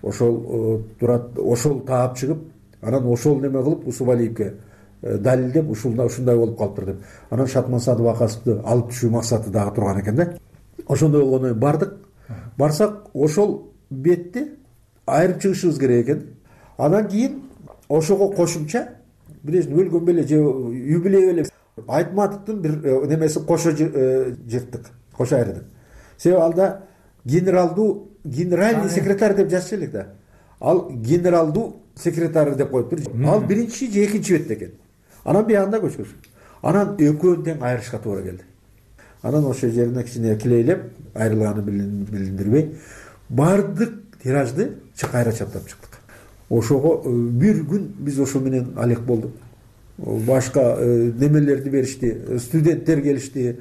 Ошол турат, ошол таап чыгып, анан ошол неме кылып Усубалиевке далилдеп ушундай болуп калыптыр деп. Анан Шатман Садыбакасовду алып түшүү максаты дагы турган экен да. Ошондой болгондон бардык. Барсак ошол бетти айырып чыгышыбыз керек экен. Анан кийин ошого кошумча бирөөсүн өлгөн беле же юбилей беле Айтматовдун бир немеси кошо жырттык, кошо айырдык. Себеби алда генеральный секретарь деп жазчу элек да. Ал генералдуу секретарь деп коюптур. Ал биринчи же экинчи бетте экен. Анан биягында көчкөн. Анан экөөнү тең айырышка туура келди. Анан ошол жерине кичине килейлеп, айрылганын билиндирбей, бардык тиражды кайра чаптап чыктык. Ошого бир күн биз ошо менен алек болдук. Башка немелерди беришти, студенттер келишти.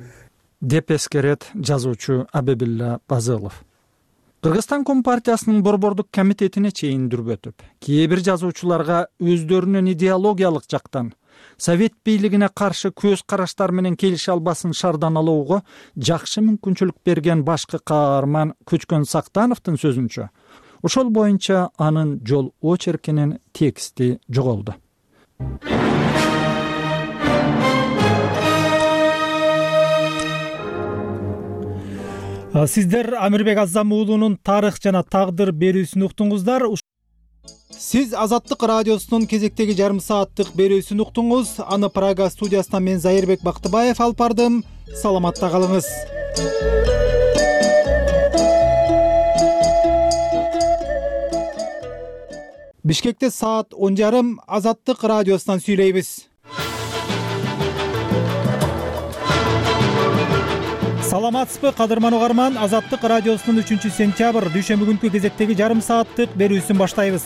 Деп эскерет жазуучу Абибилла Пазылов. Кыргызстан Компартиясынын борбордук комитетине чейин дүрбөтүп, кээ бир жазуучуларга өздөрүнүн идеологиялык жактан Совет бийлигине каршы көз караштар менен келише албасын шарданалоого жакшы мүмкүнчүлүк берген башкы каарман Көчкөн Сактановдун сөзүнчө, ошол боюнча анын жол очеркинин тексти жоголду. Сиздер Амирбек Азам уулунун тарых жана тагдыр берүүсүн уктуңуздар. Сиз Азаттык радиосунун кезектеги жарым сааттык берүүсүн уктуңуз. Аны Прага студиясынан мен Зайырбек Бактыбаев алып бардым. Саламатта калыңыз. Бишкекте саат 10:30 Азаттык радиосунан сүйлөйбүз. Саламатсызбы, кадырман угарман? Азаттык радиосунун 3-сентябрь дүйшөмбү күнкү кезектеги жарым сааттык берүүсүн баштайбыз.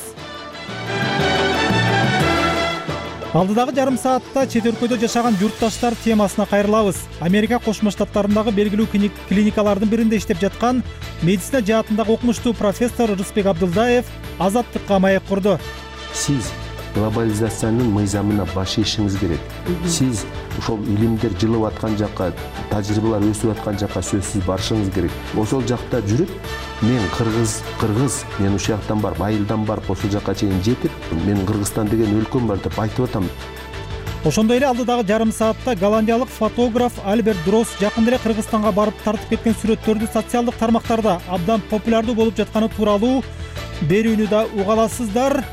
Алдыдагы жарым саатта чет өлкөдө жашаган журтташтар темасына кайрылабыз. Америка Кошмо Штаттарындагы белгилүү клиникалардын биринде иштеп жаткан медицина жаатындагы окумуштуу профессор Рысбек Абдылдаев Азаттыкка маек курду. Сиз глобализациянын мыйзамына баш ийишиңиз керек. Сиз ошол илимдер жылып аткан жакка, тажрыйбалар өсүп аткан жакка сөзсүз барышыңыз керек. Ошол жакта жүрүп, мен кыргыз, мен ушул жактан барып, айылдан барып, ошол жакка чейин жетип, мен Кыргызстан деген өлкөм бар деп айтып атам. Ошондой эле алдыдагы жарым саатта голландиялык фотограф Альберт Дрос жакында эле Кыргызстанга барып тартып кеткен сүрөттөрдү социалдык тармактарда абдан популярдуу болуп жатканы тууралуу берүүнү да уга аласыздар.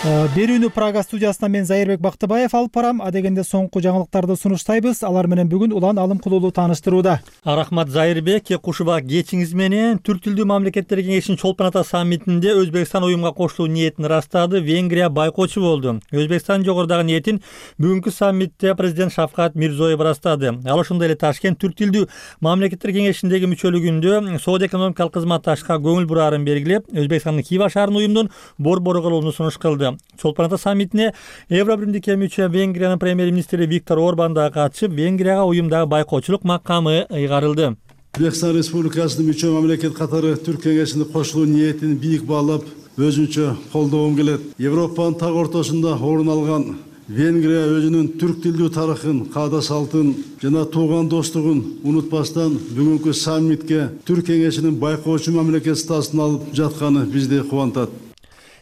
Берүүнү Прага студиясынан мен Зайырбек Бактыбаев алып барам. Адегенде соңку жаңылыктарды сунуштайбыз. Алар менен бүгүн Улан Алымкулуулу тааныштырууда. Рахмат Зайырбек, кушубак кечиңиз менен Түрк тилдүү мамлекеттер кеңешинин Чолпон Ата саммитинде Өзбекстан уюмга кошулуу ниетин ырастады. Венгрия байкоочу болду. Өзбекстан жогорудагы ниетин бүгүнкү саммитте президент Шавкат Мирзиёев ырастады. Ал ошондой эле Ташкент Түрк тилдүү мамлекеттер кеңешиндеги мүчөлүгүндө соода экономикалык кызматташка көңүл бурарын белгилеп, Өзбекстандын Хива шаарынын уюмдун борбору кылууну сунуш кылды. Чолпон Ата саммитине Евробиримдикке мүчө Венгриянын премьер-министри Виктор Орбан да катышып, Венгрияга уюмдагы байкоочулук макамы ыйгарылды. Өзбекстан Республикасынын мүчө мамлекет катары Түрк кеңешине кошулуу ниетин бийик баалап, өзүнчө колдогум келет. Европанын так ортосунда орун алган Венгрия өзүнүн түрк тилдүү тарыхын, каада салтын жана тууган достугун унутпастан бүгүнкү саммитке Түрк кеңешинин байкоочу мамлекет статусун алып жатканы бизди кубантат.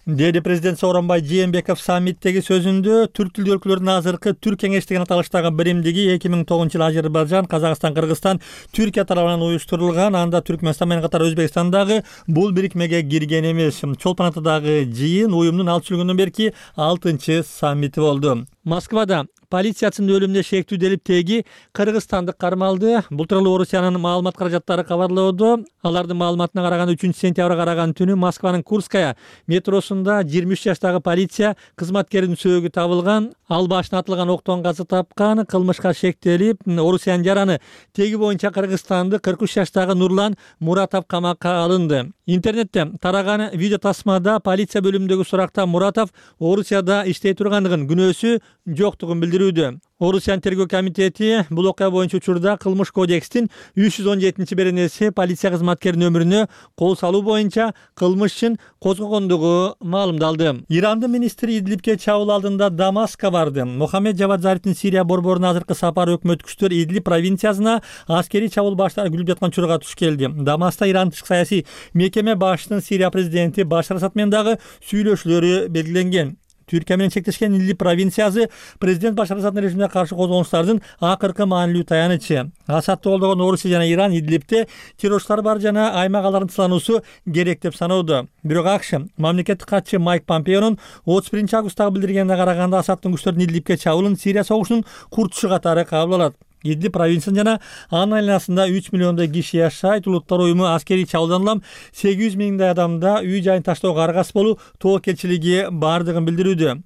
Деди президент Сооронбай Жээнбеков саммиттеги сөзүндө түрк тилдүү өлкөлөрдүн азыркы Түрк кеңештигин аталыштагы биримдиги 2009-жылы Азербайжан, Казакстан, Кыргызстан, Түркия тарабынан уюштурулган. Анда Түркмөнстан менен катар Өзбекстан дагы бул бирикмеге кирген эмес. Чолпон Атадагы жыйын уюмдун алты жылдан берки 6-чы саммити болду. Москвада полициясынын өлүмүнө шектүү делип теги кыргызстандык кармалды. Бул тууралуу Орусиянын маалымат каражаттары кабарлоодо. Алардын маалыматына караганда 3-сентябрга караган түнү Москванын Курская метросунда 23 жаштагы полиция кызматкеринин сөөгү табылган. Ал башына атылган октон каза тапкан. Кылмышка шектелип, Орусиянын жараны теги боюнча кыргызстанды 43 жаштагы Нурлан Муратов камакка алынды. Интернетте тараган видео тасмада полиция бөлүмүндөгү суракта Муратов Орусияда иштей тургандыгын, күнөөсү жоктугун билдирүүдө. Орусиянын тергөө комитети бул окуя боюнча учурда Кылмыш кодекстин 317-беренеси полиция кызматкеринин өмүрүнө кол салуу боюнча кылмыш ишин козгогондугу маалымдалды. Ирандын министри Идлибке чабуул алдында Дамаскка барды. Мохаммед Жавад Зарифтин Сирия борборуна азыркы сапары өкмөт күчтөр Идлиб провинциясына аскерий чабуул баштап күлүп жаткан учурга туш келди. Дамаскта Иран тышкы саясий мекеме башчысынын Сирия президенти Башар Асад менен дагы сүйлөшүүлөрү белгиленген. Түркия менен чектешкен Идлиб провинциясы президент Башар Асаддын режимине каршы козголуштардын акыркы маанилүү таянычы. Асадты колдогон Орусия жана Иран Идлибте террорчулар бар жана аймак алардын тылануусу керек деп саноодо. Бирок АКШ мамлекеттик катчы Майк Помпеонун 31 августтагы билдиргенине караганда Асаддын күчтөрүнүн Идлибке чабуулун Сирия согушунун куртушу катары кабыл алат. Идлиб провинциясында жана анын айланасында 3 миллиондой киши жашайт. Улуттар уюму аскерий чабуулдан улам 800 миңдей адамда үй жайын таштоого аргасыз болуу тобокелчилиги бардыгын билдирүүдө.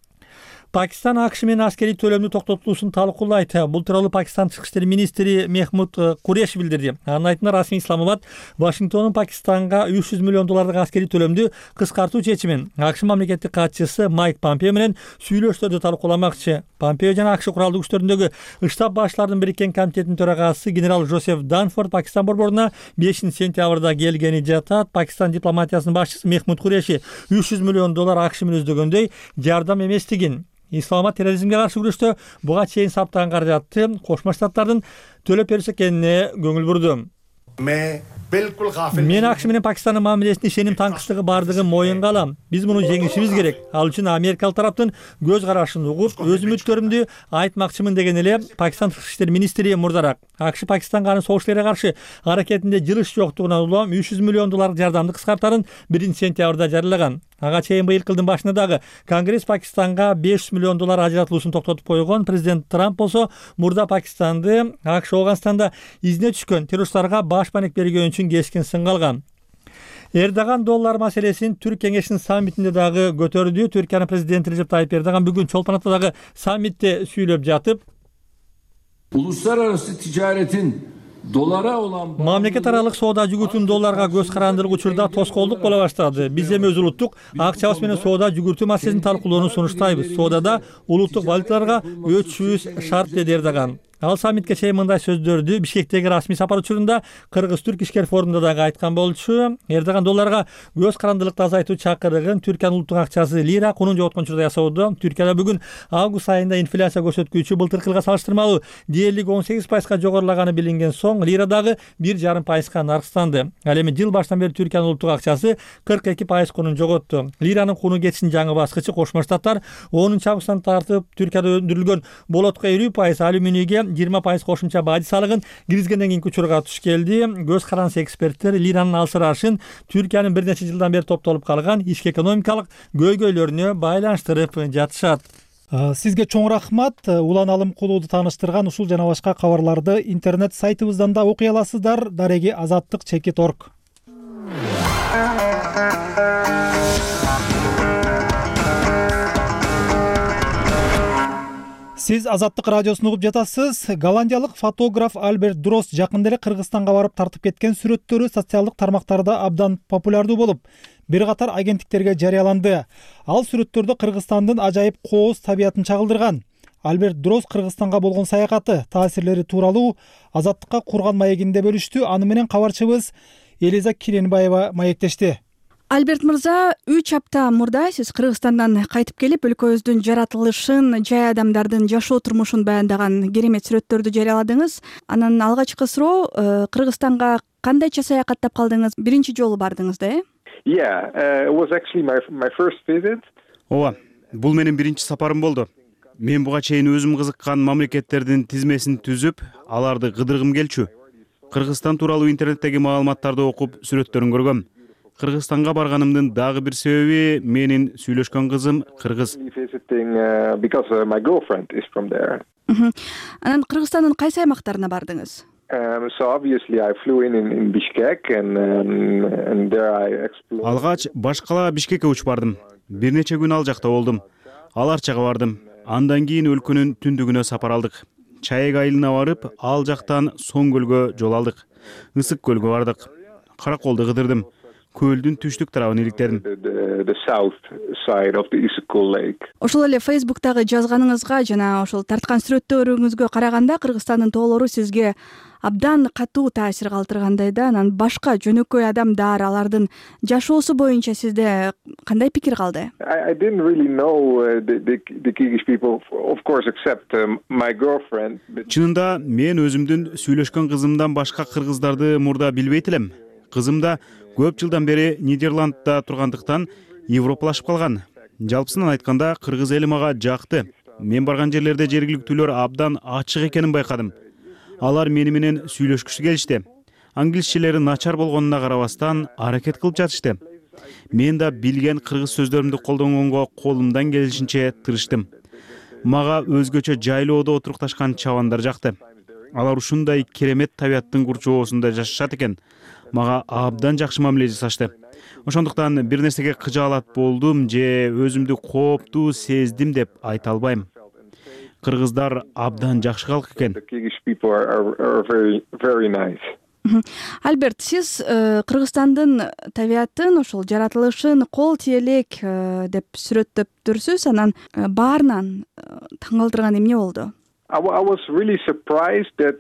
Пакистан АКШ менен аскерий төлөмдү токтотулуусун талкуулайт. Бул тууралуу Пакистан тышкы иштер министри Мехмуд Куреш билдирди. Анын айтымында расмий Исламабад Вашингтондун Пакистанга $300 миллион аскерий төлөмдү кыскартуу чечимин АКШ мамлекеттик катчысы Майк Помпео менен сүйлөштөрдү талкууламакчы. Помпео жана АКШ куралдуу күчтөрүндөгү штаб башчыларынын бириккен комитетинин төрагасы генерал Жозеф Данфорд Пакистан борборуна 5-сентябрда келгени жатат. Пакистан дипломатиясынын башчысы Мехмуд Куреши $300 миллион АКШ менен издөгөндөй жардам эместигин, Исламабад терроризмге каршы күрөштө буга чейин саптаган каражатты Кошмо Штаттардын төлөп берсе экенине көңүл бурду. Мен АКШ менен Пакистандын мамилесине ишеним таңкычтыгы бардыгын моюнга алам. Биз муну жеңишибиз керек. Ал үчүн америкалык тараптын көз карашын угуп, өз үмүттөрүмдү айтмакчымын деген эле Пакистан тышкы иштер министри мурдараак. АКШ Пакистанга анын согуш эле каршы аракетинде жылыш жоктугуна улам $300 миллион жардамды кыскартарын 1-сентябрда жарыялаган. Ага чейин быйыл кылдын башында дагы Конгресс Пакистанга $500 миллион ажыратылуусун токтотуп койгон. Президент Трамп болсо мурда Пакистанды АКШ Афганстанда изине түшкөн террористтарга баш маек бергөн үчүн кескен сынга алган. Эрдоган доллар маселесин Түрк кеңешинин саммитинде дагы көтөрдү. Түркиянын президенти Режеп Тайип Эрдоган бүгүн Чолпон Атадагы саммитте сүйлөп жатып, uluslararası ticaretin dolara olan мамлекет аралык соода жүгүртүүнүн долларга көз карандырган учурда тоскоолдук боло баштады. Биз эми өз улуттук акчабыз менен соода жүгүртүү маселесин талкуулоону сунуштайбыз. Соодада улуттук валюталарга өтүшүбүз шарт, деди Эрдоган. Ал саммитке чейин мындай сөздөрдү Бишкектеги расмий сапар учурунда Кыргыз-Түрк ишкер форумунда дагы айткан болчу. Эрдоган долларга көз карандылыкты азайтуу чакырыгын Түркиянын улуттук акчасы лира кунун жоготкон учурда ясоодо. Түркияда бүгүн август айында инфляция көрсөткүчү былтыркы жылга салыштырмалуу дээрлик 18% жогорулаганы билинген соң лира дагы 1,5% наркстанды. Ал эми жыл башынан бери Түркиянын улуттук акчасы 42% кунун жоготту. Лиранын куну кетишинин жаңы баскычы Кошмо Штаттар 10-августтан тартып Түркияда өндүрүлгөн болотко 50%, алюминийге 20% кошумча бажы салыгын киргизгенден кийинки учурга туш келди. Көз карансы эксперттер лиранын алсырашын Түркиянын бир нече жылдан бери топтолуп калган ички экономикалык көйгөйлөрүнө байланыштырып жатышат. Сизге чоң рахмат. Улан Алымкулууду тааныштырган ушул жана башка кабарларды интернет сайтыбыздан да окуй аласыздар. Дареги Азаттык.org. Сиз Азаттык радиосун угуп жатасыз. Голландиялык фотограф Альберт Дрос жакында эле Кыргызстанга барып тартып кеткен сүрөттөрү социалдык тармактарда абдан популярдуу болуп, бир катар агенттиктерге жарыяланды. Ал сүрөттөрдө Кыргызстандын ажайып кооз табиятын чагылдырган. Альберт Дрос Кыргызстанга болгон саякаты, таасирлери тууралуу Азаттыкка курган маегинде бөлүштү. Аны менен кабарчыбыз Элиза Киренбаева маектешти. Альберт мырза, 3 апта мурда сиз Кыргызстандан кайтып келип, өлкөбүздүн жаратылышын, жай адамдардын жашоо турмушун баяндаган керемет сүрөттөрдү жарыяладыңыз. Анан алгачкы суроо, Кыргызстанга кандайча саякаттап калдыңыз? Биринчи жолу бардыңыз да, it was actually my first visit. Ооба, бул менин биринчи сапарым болду. Мен буга чейин өзүм кызыккан мамлекеттердин тизмесин түзүп, аларды кыдыргым келчү. Кыргызстан тууралуу интернеттеги маалыматтарды окуп, сүрөттөрүн көргөм. Кыргызстанга барганымдын дагы бир себеби менин сүйлөшкөн кызым кыргыз. Анан Кыргызстандын кайсы аймактарына бардыңыз? Алгач башкала Бишкекке учуп бардым. Бир нече күн ал жакта болдум. Ал Арчага бардым. Андан кийин өлкөнүн түндүгүнө сапар алдык. Чаек айылына барып, ал жактан Соң көлгө жол алдык. Ысык көлгө бардык. Караколду кыдырдым. Көлдүн түштүк тарабын иликтедим. Ошол эле Facebook'тагы жазганыңызга жана ошол тарткан сүрөттөрүңүзгө караганда Кыргызстандын тоолору сизге абдан катуу таасир калтыргандай да. Анан башка жөнөкөй адамдар, алардын жашоосу боюнча сизде кандай пикир калды? Чынында мен өзүмдүн сүйлөшкөн кызымдан башка кыргыздарды мурда билбейт элем. Кызым да көп жылдан бери Нидерландда тургандыктан европалашып калган. Жалпысынан айтканда кыргыз эли мага жакты. Мен барган жерлерде жергиликтүүлөр абдан ачык экенин байкадым. Алар мени менен сүйлөшкүсү келишти. Англисчелери начар болгонуна карабастан аракет кылып жатышты. Мен да билген кыргыз сөздөрүмдү колдонгонго колумдан келишинче тырыштым. Мага өзгөчө жайлоодо отурукташкан чабандар жакты. Алар ушундай керемет табияттын курчоосунда жашашат экен. Мага абдан жакшы мамиле жасашты. Ошондуктан бир нерсеге кыжаалат болдум же өзүмдү кооптуу сездим деп айта албайм. Кыргыздар абдан жакшы калк экен. Альберт, сиз Кыргызстандын табиятын, ошол жаратылышын кол тие элек деп сүрөттөптүрсүз. Анан баарынан таң калтырган эмне болду? I was really surprised that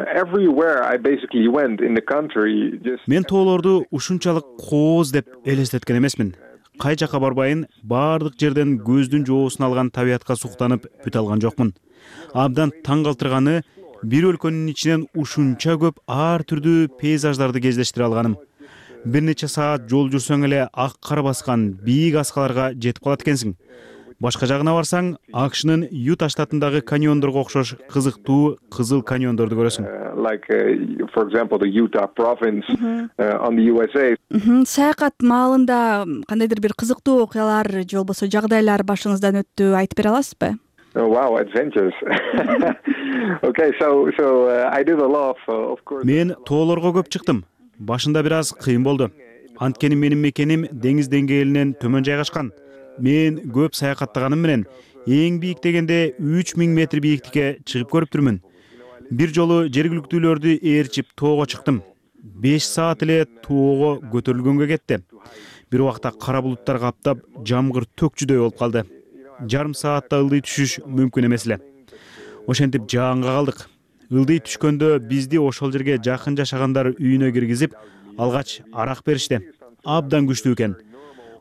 everywhere I basically went in the country just Мен тоолорду ушунчалык кооз деп элестеткен эмесмин. Кай жака барбайын, баардык жерден көздүн жоосун алган табиятка суктанып бүтө алган жокмун. Абдан таң калтырганы бир өлкөнүн ичинен ушунча көп ар түрдүү пейзаждарды кездештире алганым. Бир нече саат жол жүрсөң эле ак кар баскан бийик аскаларга жетип калат экенсиң. Башка жагына барсаң, АКШнын Юта штатындагы каньондорго окшош кызыктуу кызыл каньондорду көрөсүң. Like for example the Utah province on the USA. Саякат маалында кандайдыр бир кызыктуу окуялар же болбосо жагдайлар башыңыздан өттү, айтып бере аласызбы? Oh wow, adventures. Okay, so I did a lot of course. Мен тоолорго көп чыктым. Башында бир аз кыйын болду. Анткени менин мекеним деңиз деңгээлинен төмөн жайгашкан. Мен көп саякаттаганым менен эң бийик дегенде 3000 метр бийиктикке чыгып көрүптүрмүн. Бир жолу жергиликтүүлөрдү ээрчип тоого чыктым. 5 саат эле тоого көтөрүлгөнгө кетти. Бир убакта кара булуттар каптап, жамгыр төкчүдөй болуп калды. Жарым саатта ылдый түшүш мүмкүн эмес эле. Ошентип жаанга калдык. Ылдый түшкөндө бизди ошол жерге жакын жашагандар үйүнө киргизип, алгач арак беришти. Абдан күчтүү экен.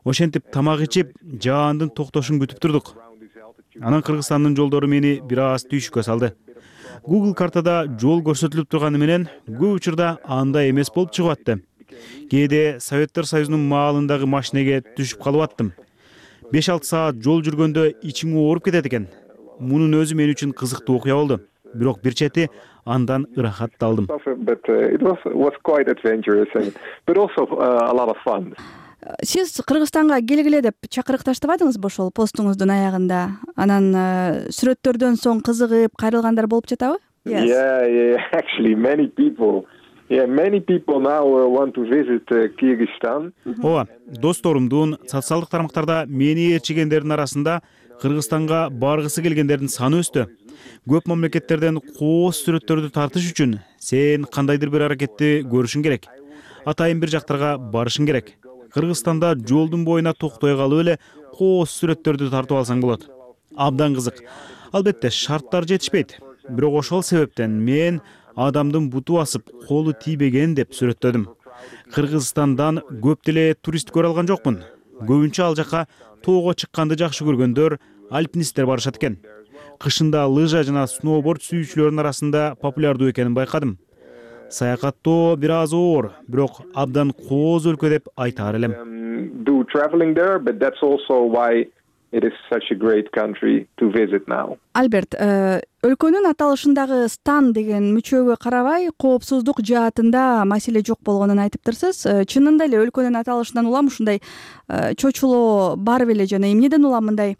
Ошентип тамак ичип, жаандын токтошун күтүп турдук. Анан Кыргызстандын жолдору мени бир аз түйшүккө салды. Google картада жол көрсөтүлүп турганы менен көп учурда андай эмес болуп чыгып атты. Кээде Советтер Союзунун маалындагы машинеге түшүп калып аттым. 5-6 саат жол жүргөндө ичиң ооруп кетет экен. Мунун өзү мен үчүн кызыктуу окуя болду. Бирок бир чети андан ырахат да алдым. But it was quite adventurous but also a lot of fun. Сиз Кыргызстанга келгиле деп чакырыкташтыбадыңызбы ошол постуңуздун аягында? Анан сүрөттөрдөн соң кызыгып кайрылгандар болуп жатабы? Yeah, actually many people now want to visit Kyrgyzstan. Ооба, досторумдун социалдык тармактарда мени ээрчигендердин арасында Кыргызстанга баргысы келгендердин саны өстү. Көп мамлекеттерден кооз сүрөттөрдү тартыш үчүн сен кандайдыр бир аракетти көрүшүң керек. Атайын бир жактарга барышың керек. Кыргызстанда жолдун боюна токтой калып эле кооз сүрөттөрдү тартып алсаң болот. Абдан кызык. Албетте шарттар жетишпейт. Бирок ошол себептен мен адамдын буту басып, колу тийбеген деп сүрөттөдүм. Кыргызстандан көп деле турист көрө алган жокмун. Көбүнчө ал жака тоого чыкканды жакшы көргөндөр, альпинисттер барышат экен. Кышында лыжа жана сноуборд сүйүүчүлөрдүн арасында популярдуу экенин байкадым. Саякаттоо бир аз оор, бирок абдан кооз өлкө деп айтаар элем. Do traveling there, but that's also why it is such a great country to visit now. Альберт, өлкөнүн аталышындагы стан деген мүчөгө карабай, коопсуздук жаатында маселе жок болгонун айтыптырсыз. Чынында эле өлкөнүн аталышынан улам ушундай чочулоо бар беле жана эмнеден улам мындай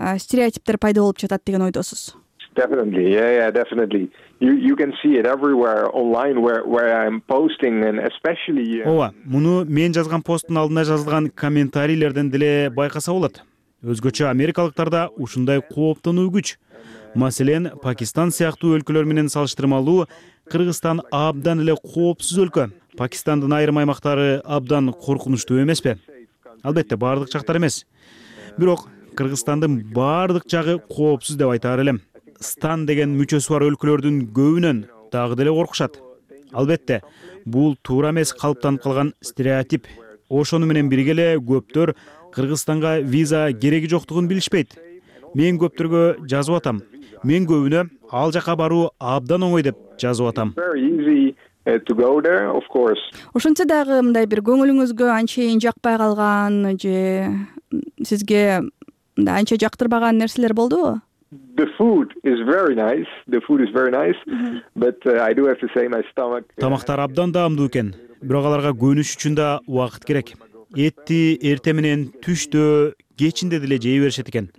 стереотиптер пайда болуп жатат деген ойдосуз? Definitely, yeah, definitely. You can see it everywhere online where I'm posting and especially. Ооба, муну мен жазган посттун алдына жазылган комментарийлерден деле байкаса болот. Өзгөчө америкалыктарда ушундай кооптонуу күч. Маселен, Пакистан сыяктуу өлкөлөр менен салыштырмалуу Кыргызстан абдан эле коопсуз өлкө. Пакистандын айрым аймактары абдан коркунучтуу эмеспи? Албетте, баардык жактар эмес. Бирок Кыргызстандын баардык жагы коопсуз деп айтаар элем. Стан деген мүчөсү бар өлкөлөрдүн көбүнөн дагы деле коркушат. Албетте, бул туура эмес калыптанып калган стереотип. Ошону менен бирге эле көптөр Кыргызстанга виза кереги жоктугун билишпейт. Мен көптөргө жазып атам. Мен көбүнө ал жака баруу абдан оңой деп жазып атам. Ошентсе дагы мындай бир көңүлүңүзгө анчейин жакпай калган же сизге анча жактырбаган нерселер болдубу? The food is very nice. But I do have to say my stomach. Тамактар абдан даамдуу экен. Бирок аларга көнүш үчүн да убакыт керек. Этти эрте менен түштө, кечинде деле жей беришет экен.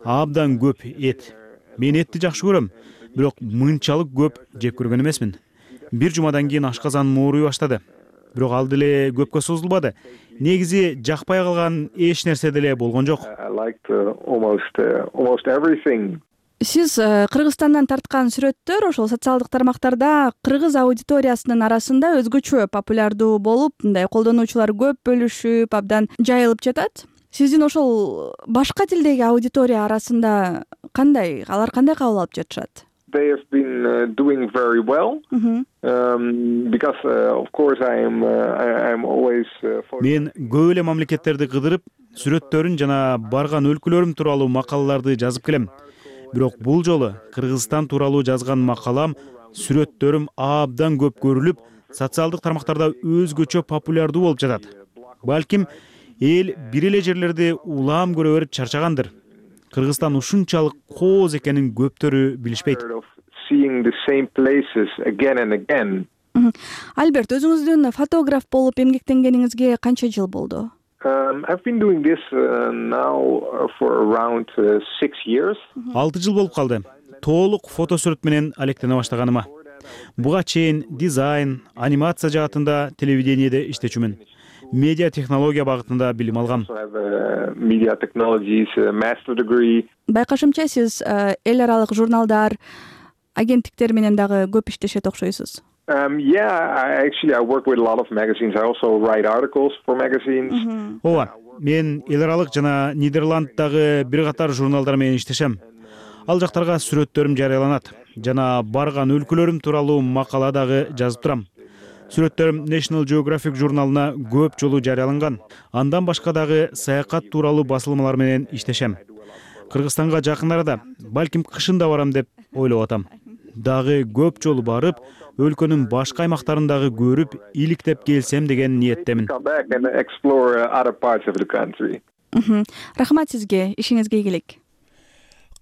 Абдан көп эт. Мен этти жакшы көрөм, бирок мынчалык көп жеп көргөн эмесмин. Бир жумадан кийин ашказан ооруй баштады. Бирок ал деле көпкө созулбады. негизи жакпай калган эч нерсе деле болгон жок. I liked almost everything. Сиз Кыргызстандан тарткан сүрөттөр ошол социалдык тармактарда кыргыз аудиториясынын арасында өзгөчө популярдуу болуп, мындай колдонуучулар көп бөлүшүп, абдан жайылып жатат. Сиздин ошол башка тилдеги аудитория арасында кандай, алар кандай кабыл алып жатышат? They have been doing very well because of course I'm always Мен көп эле мамлекеттерди кыдырып, сүрөттөрүн жана барган өлкөлөрүм тууралуу макалаларды жазып келем. Бирок бул жолу Кыргызстан тууралуу жазган макалам, сүрөттөрүм абдан көп көрүлүп, социалдык тармактарда өзгөчө популярдуу болуп жатат. Балким эл бир эле жерлерди улам көрө берип чарчагандыр. Кыргызстан ушунчалык кооз экенин көптөрү билишпейт. Альберт, өзүңүздүн фотограф болуп эмгектенгениңизге канча жыл болду? I've been doing this now for around 6 years. 6 жыл болуп калды. Толук фотосүрөт менен алектене баштаганыма. Буга чейин дизайн, анимация жаатында телевидениеде иштечүмүн. Медиа технология багытында билим алгам. Media technologies master degree. Байкашымча, сиз эл аралык журналдар, агенттиктер менен дагы көп иштешет окшойсуз. I work with a lot of magazines. I also write articles for magazines. Ооба, мен эл аралык жана Нидерланддагы бир катар журналдар менен иштешем. Ал жактарга сүрөттөрүм жарыяланат жана барган өлкөлөрүм тууралуу макала дагы жазып турам. Сүрөттөрүм National Geographic журналына көп жолу жарыяланган. Андан башка дагы саякат тууралуу басылмалар менен иштешем. Кыргызстанга жакын арада, балким кышында барам деп ойлоп атам. Дагы көп жолу барып, өлкөнүн башка аймактарын көрүп, иликтеп келсем деген ниеттемин. Рахмат сизге, ишиңизге ийгилик.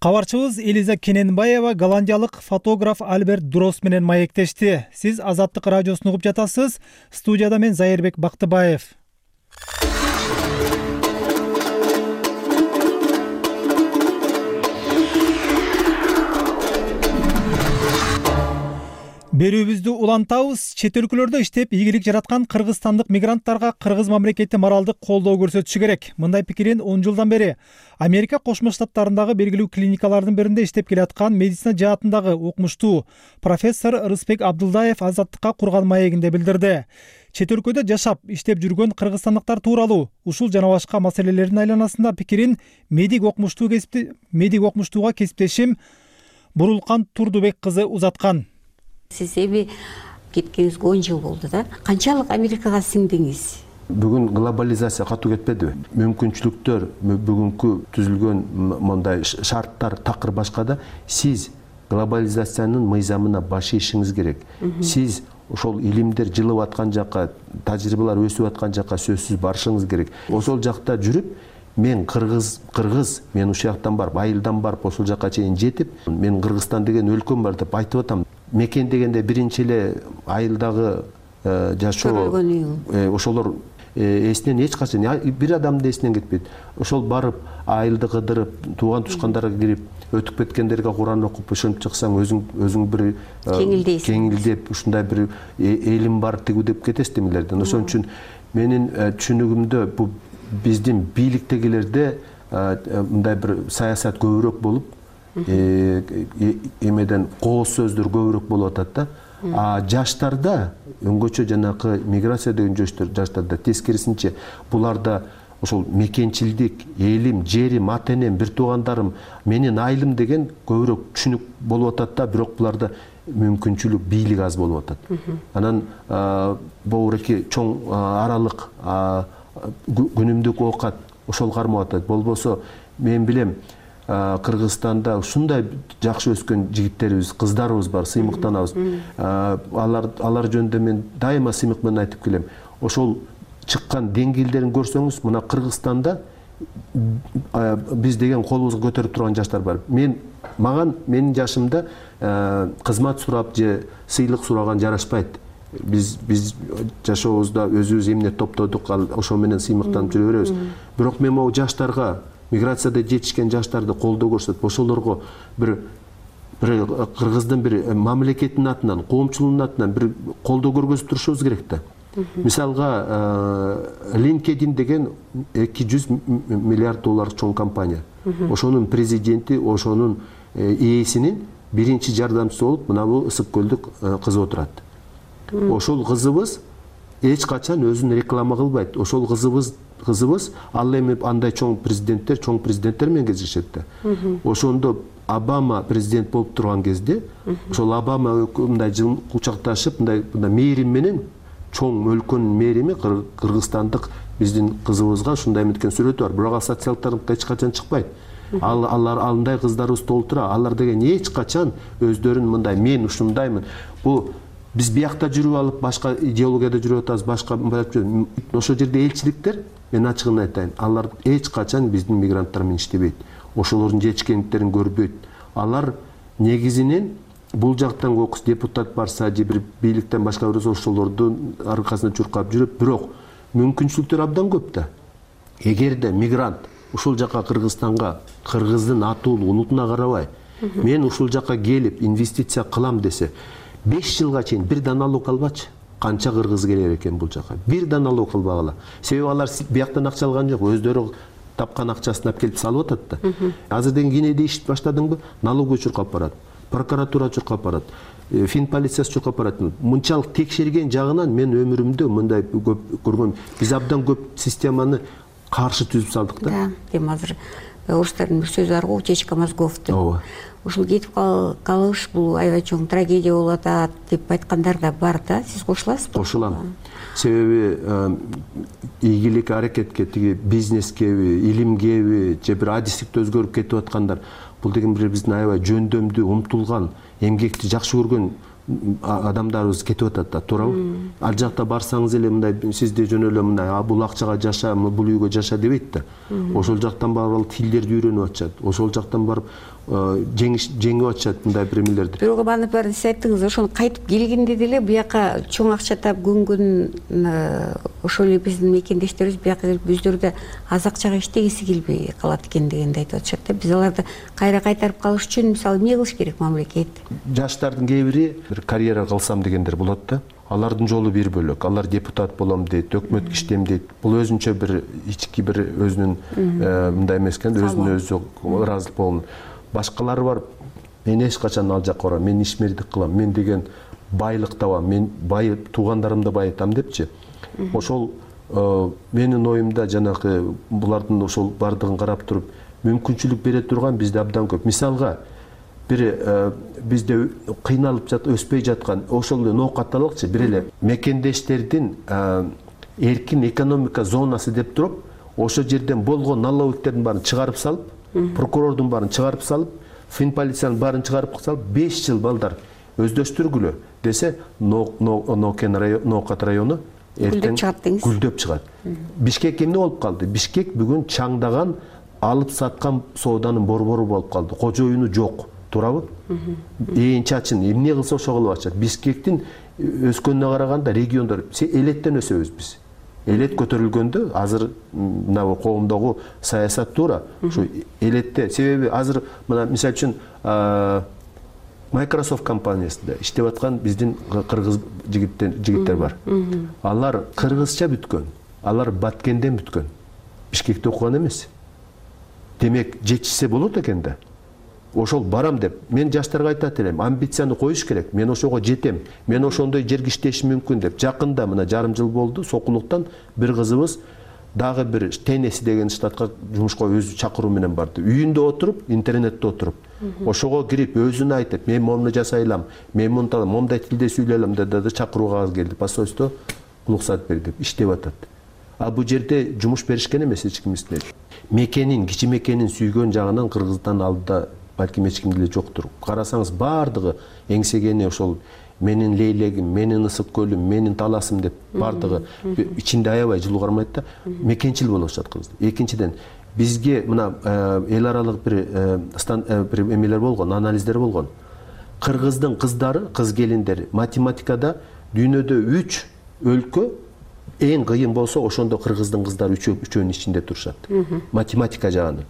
Кабарчыбыз Элиза Кененбаева голландиялык фотограф Альберт Дрос менен маектешти. Сиз Азаттык радиосун угуп жатасыз. Студияда мен Зайырбек Бактыбаев. Берүүбүздү улантабыз. Чет өлкөлөрдө иштеп ийгилик жараткан кыргызстандык мигранттарга кыргыз мамлекети моралдык колдоо көрсөтүшү керек. Мындай пикирин 10 жылдан бери Америка Кошмо Штаттарындагы белгилүү клиникалардын биринде иштеп келаткан медицина жаатындагы окумуштуу профессор Рысбек Абдылдаев Азаттыкка курган маегинде билдирди. Чет өлкөдө жашап, иштеп жүргөн кыргызстандыктар тууралуу ушул жана башка маселелердин айланасында пикирин медик окумуштууга кесиптешим Бурулкан Турдубек кызы узаткан. Сиз эми кеткениңизге 10 жыл болду да. Канчалык Америкага сиңдиңиз? Бүгүн глобализация катуу кетпедиби? Мүмкүнчүлүктөр, бүгүнкү түзүлгөн мондай шарттар такыр башка да. Сиз глобализациянын мыйзамына баш ийишиңиз керек. Сиз ошол илимдер жылып аткан жакка, тажрыйбалар өсүп аткан жакка сөзсүз барышыңыз керек. Ошол жакта жүрүп, мен кыргыз, мен ушул жактан барып, айылдан барып, ошол жакка чейин жетип, мен Кыргызстан деген өлкөм бар деп айтып атам. Мекен дегенде биринчи эле айылдагы жашоо, ошолор эсинен эч качан бир адамдын эсинен кетпейт. Ошол барып, айылды кыдырып, тууган тушкандарга кирип, өтүп кеткендерге Куран окуп, ошентип чыксаң, өзүң бир кеңилдеп, ушундай бир элим бар тигүү деп кетесиз демилерден. Ошон үчүн менин түшүнүгүмдө бу биздин бийликтегилерде мындай бир саясат көбүрөөк болуп, эмеден кооз сөздөр көбүрөөк болуп атат да. Жаштарда, өңгөчө жанакы миграция деген жаштарда тескерисинче буларда ошол мекенчилдик, элим, жерим, ата-энем, бир туугандарым, менин айылым деген көбүрөөк түшүнүк болуп атат да, бирок буларда мүмкүнчүлүк, бийлик аз болуп атат. Анан богуреки чоң аралык күнүмдүк оокат ошол кармап атат. Болбосо мен билем Кыргызстанда ушундай жакшы өскөн жигиттерибиз, кыздарыбыз бар, сыймыктанабыз. Алар жөнүндө мен дайыма сыймык менен айтып келем. Ошол чыккан деңгээлдерин көрсөңүз, мына Кыргызстанда биз деген колубузду көтөрүп турган жаштар бар. Менин жашымда кызмат сурап же сыйлык сураган жарашпайт. Биз жашообузда өзүбүз эмне топтодук, ошо менен сыймыктанып жүрө беребиз. Бирок мен могу жаштарга, миграцияда жетишкен жаштарды колдоо көрсөтүп, ошолорго бир кыргыздын бир мамлекетинин атынан, коомчулугунун атынан бир колдоо көргөзүп турушубуз керек да. Мисалга LinkedIn деген 200 миллиард доллар чоң компания. Ошонун президенти, ошонун ээсинин биринчи жардамчысы болуп мына бул Ысык көлдүк кызы отурат. Ошол кызыбыз эч качан өзүн реклама кылбайт. Ошол кызыбыз ал эми андай чоң президенттер менен кездешет да. Ошондо Обама президент болуп турган кезде ошол Обама мындай кучакташып мындай мээрим менен чоң өлкөнүн мээрими кыргызстандык биздин кызыбызга ушундай меткен сүрөтү бар. Бирок ал социалдыкка эч качан чыкпайт. Алар андай кыздарыбыз толтура. Алар деген эч качан өздөрүн мындай мен ушундаймын. Бул биз биякта жүрүп алып башка идеологияда жүрүп атабыз, башка ошол жерде элчиликтер, мен ачыгын айтайын, алар эч качан биздин мигранттар менен иштебейт. Ошолордун жетишкендиктерин көрбөйт. Алар негизинен бул жактан кокус депутат барса же бир бийликтен башка бирөөсү ошолордун аркасында чуркап жүрөт, бирок мүмкүнчүлүктөр абдан көп да. Эгерде мигрант ушул жака Кыргызстанга, кыргыздын атуулук улутуна карабай, мен ушул жака келип инвестиция кылам десе, 5 жылга чейин бир да налог албачы. Канча кыргыз келер экен бул жака? Бир да налог кылбагыла. Себеби алар бияктан акча алган жок, өздөрү тапкан акчасын алып келип салып атат да. Азыр деген кенеде иш баштадыңбы? Налогой чуркап барат, прокуратура чуркап барат, фин полициясы чуркап барат. Мынчалык текшерген жагынан мен өмүрүмдө мындай көп көргөм. Биз абдан көп системаны каршы түзүп салдык да. Да, эми азыр орустардын бир сөзү бар го, утечка мозгов деп. Ушул кетип калыш бул аябай чоң трагедия болуп атат деп айткандар да бар да. Сиз кошуласызбы? Кошулам. Себеби ийгилик аракетке, тиги бизнескеби, илимгеби, же бир адистикте өзгөрүп кетип аткандар, бул деген бир биздин аябай жөндөмдүү, умтулган, эмгекти жакшы көргөн адамдарыбыз кетип атат да, туурабы? Ал жакта барсаңыз эле мындай сизде жөн эле мындай бул акчага жаша, бул үйгө жаша дебейт да. Ошол жактан барып тилдерди үйрөнүп атышат. Ошол жактан барып жеңип атышат мындай бир эмелерди. Бирок банып бар сиз айттыңыз, ошону кайтып келгенде деле бияка чоң акча таап көнгөн ошол эле биздин мекендештерибиз бияка келип өздөрү да аз акчага иштегиси келбей калат экен дегенди айтып атышат да. Биз аларды кайра кайтарып калыш үчүн мисалы эмне кылыш керек мамлекет? Жаштардын кээ бири бир карьера кылсам дегендер болот да. Алардын жолу бир бөлөк. Алар депутат болом дейт, өкмөткө иштейм дейт. Бул өзүнчө бир ички бир өзүнүн мындай эмес экен, өзүнө өзү ыраазылык болгон. Башкалары бар, мен эч качан ал жакка барам, мен ишмердик кылам, мен деген байлык табам, мен туугандарымды байытам депчи. Ошол менин оюмда жанагы булардын ошол бардыгын карап туруп мүмкүнчүлүк бере турган бизде абдан көп. Мисалга бир бизде кыйналып өспөй жаткан ошол эле ноокатталыкчы бир эле мекендештердин эркин экономика зонасы деп туруп, ошол жерден болгон налоговиктердин баарын чыгарып салып, прокурордун баарын чыгарып салып, фин полициянын баарын чыгарып салып, 5 жыл балдар өздөштүргүлө десе, Ноокат району гүлдөп чыгат. Бишкек эмне болуп калды? Бишкек бүгүн чаңдаган, алып саткан сооданын борбору болуп калды. Кожоюну жок, туурабы? Ээн чачын эмне кылса ошо кылып атышат. Бишкектин өскөнүнө караганда региондор элеттен өсөбүз биз. Элет көтөрүлгөндө азыр мына коомдогу саясат туура ушу элетте. Себеби азыр мына мисалы үчүн Microsoft компаниясында иштеп аткан биздин кыргыз жигиттер бар. Алар кыргызча бүткөн, алар Баткенден бүткөн. Бишкекте окуган эмес. Демек жетишсе болот экен да. Ошол барам деп, мен жаштарга айтат элем, амбицияны коюш керек. Мен ошого жетем, мен ошондой жерге иштешим мүмкүн деп. Жакында мына жарым жыл болду, Сокулуктан бир кызыбыз дагы бир Теннесси деген штатка жумушка өзү чакыруу менен барды. Үйүндө отуруп, интернетте отуруп, ошого кирип өзүнө айтып, мен мону жасайлам, мен мындай момдай тилде сүйлөйлөм деп чакыруу кагаз келди. Посольство уруксат бер деп иштеп атат. А бул жерде жумуш беришкен эмес эч кимисине. Мекенин, кичи мекенин сүйгөн жагынан Кыргызстан алдыда балким эч кимде эле жоктур. Карасаңыз бардыгы эңсегени ошол менин лейлегим, менин Ысык көлүм, менин таласым деп бардыгы ичинде аябай жылуу кармайт да, мекенчил болуп атышат кыргыздар. Экинчиден, бизге мына эл аралык бир эмелер болгон, анализдер болгон. Кыргыздын кыздары, кыз келиндери математикада дүйнөдө 3 өлкө эң кыйын болсо, ошондо кыргыздын кыздары үчөөнүн ичинде турушат. Математика жагынан.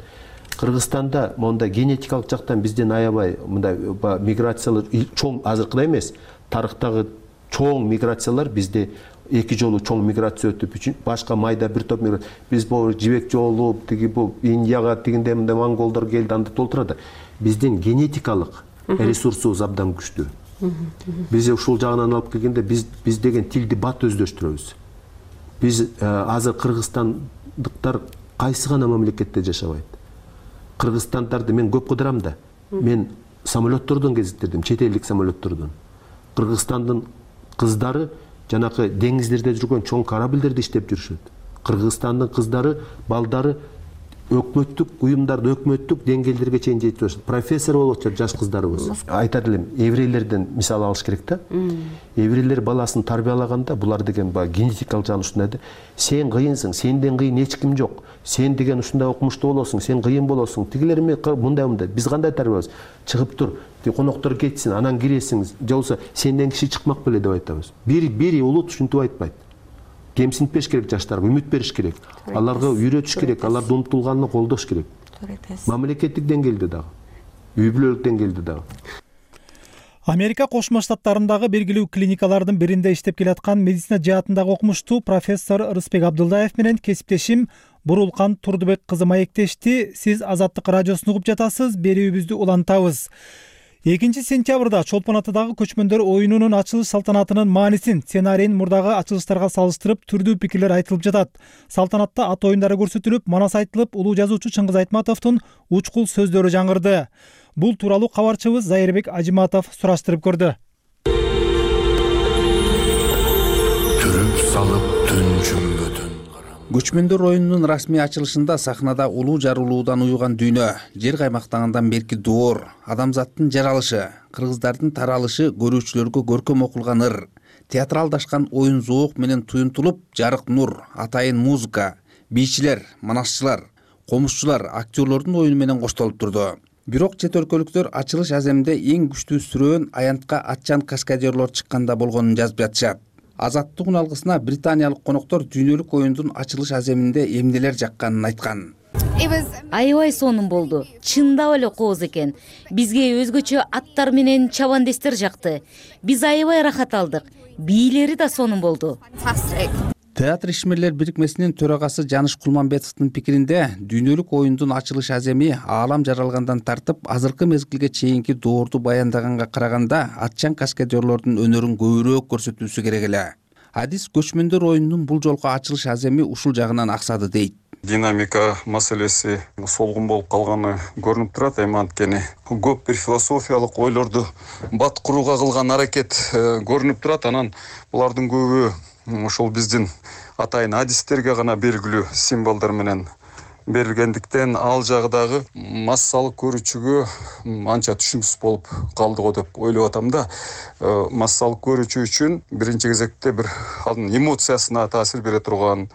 Кыргызстанда монда генетикалык жактан бизден аябай мындай миграциялар чоң азыркыдай эмес, тарыхтагы чоң миграциялар бизде 2 жолу чоң миграция өтүп, башка майда бир топ миграция. Биз бул жибек жолу, тиги бул Индияга тигинде мындай монголдор келди, анда толтурат. Биздин генетикалык ресурсубуз абдан күчтүү. Биз ушул жагынан алып келгенде биз деген тилди бат өздөштүрөбүз. Биз азыр кыргызстандыктар кайсы гана мамлекетте жашабайт. Кыргызстандарды мен көп кыдырам да. Мен самолеттордон кезиктирдим, чет элдик самолеттордон. Кыргызстандын кыздары жанакы деңиздерде жүргөн чоң корабльдерде иштеп жүрүшөт. Кыргызстандын кыздары, балдары өкмөттүк уюмдарда өкмөттүк деңгээлдерге чейин жетип жатат. Профессор болуп атышат жаш кыздарыбыз. Айтат элем, еврейлерден мисал алыш керек да. Еврейлер баласын тарбиялаганда булар деген генетикалык жагы ушундай да. Сен кыйынсың, сенден кыйын эч ким жок. Сен деген ушундай окумуштуу болосуң, сен кыйын болосуң. Тигилер мындай. Биз кандай тарбиябыз? Чыгып тур, коноктор кетсин, анан киресиң, же болбосо сенден киши чыкмак беле деп айтабыз. Бири улут ушинтип айтпайт. Кемсинтпеш керек жаштарга, үмүт бериш керек. Аларга үйрөтүш керек, аларды умтулганына колдош керек. Мамлекеттик деңгээлде дагы, үй бүлөлүк деңгээлде дагы. Америка Кошмо Штаттарындагы белгилүү клиникалардын биринде иштеп келаткан медицина жаатындагы окумуштуу профессор Рыспек Абдылдаев менен кесиптешим Бурулкан Турдубек кызы маектешти. Сиз Азаттык радиосун угуп жатасыз, берүүбүздү улантабыз. 2 сентябрда Чолпон атадагы көчмөндөр оюнунун ачылыш салтанатынын маанисин, сценарийин мурдагы ачылыштарга салыштырып түрдүү пикирлер айтылып жатат. Салтанатта ат оюндары көрсөтүлүп, манас айтылып, улуу жазуучу Чыңгыз Айтматовдун учкул сөздөрү жаңырды. Бул тууралуу кабарчыбыз Зайырбек Ажиматов сураштырып көрдү. Түрүп салып түнчүмбөтүн Көчмөндөр оюнунун расмий ачылышында сахнада улуу жарылуудан уюган дүйнө, жер каймактагандан берки доор, адамзаттын жаралышы, кыргыздардын таралышы көрүүчүлөргө көркөм окулган ыр, театралдашкан оюн зоок менен туюнтулуп, жарык нур, атайын музыка, бийчилер, манасчылар, комузчулар, актерлордун оюну менен коштолуп турду. Бирок чет өлкөлүктөр ачылыш аземинде эң күчтүү сүрөөн аянтка атчан каскадерлор чыкканда болгонун жазып жатышат. Азаттык алгысына британиялык коноктор дүйнөлүк оюндун ачылыш аземинде эмнелер жакканын айткан. Аябай сонун болду. Чындап эле кооз экен. Бизге өзгөчө аттар менен чабандестер жакты. Биз аябай рахат алдык. Бийлери да сонун болду. Театр ишмерлер бирикмесинин төрагасы Жаныш Кулманбетовдун пикиринде, дүйнөлүк оюндун ачылыш аземи аалам жаралгандан тартып, азыркы мезгилге чейинки доорду баяндаганга караганда атчан каскадерлордун өнөрүн көбүрөөк көрсөтүүсү керек эле. Адис көчмөндөр оюнунун бул жолку ачылыш аземи ушул жагынан аксады дейт. Динамика маселеси солгун болуп калганы көрүнүп турат. Эми анткени көп бир философиялык ойлорду бат курууга кылган аракет көрүнүп турат. Анан булардын көбү ошол биздин атайын адистерге гана белгилүү символдор менен берилгендиктен ал жагдагы массалык көрүүчүгө анча түшүнүксүз болуп калды го деп ойлоп атам да. Массалык көрүүчү үчүн биринчи кезекте бир анын эмоциясына таасир бере турган,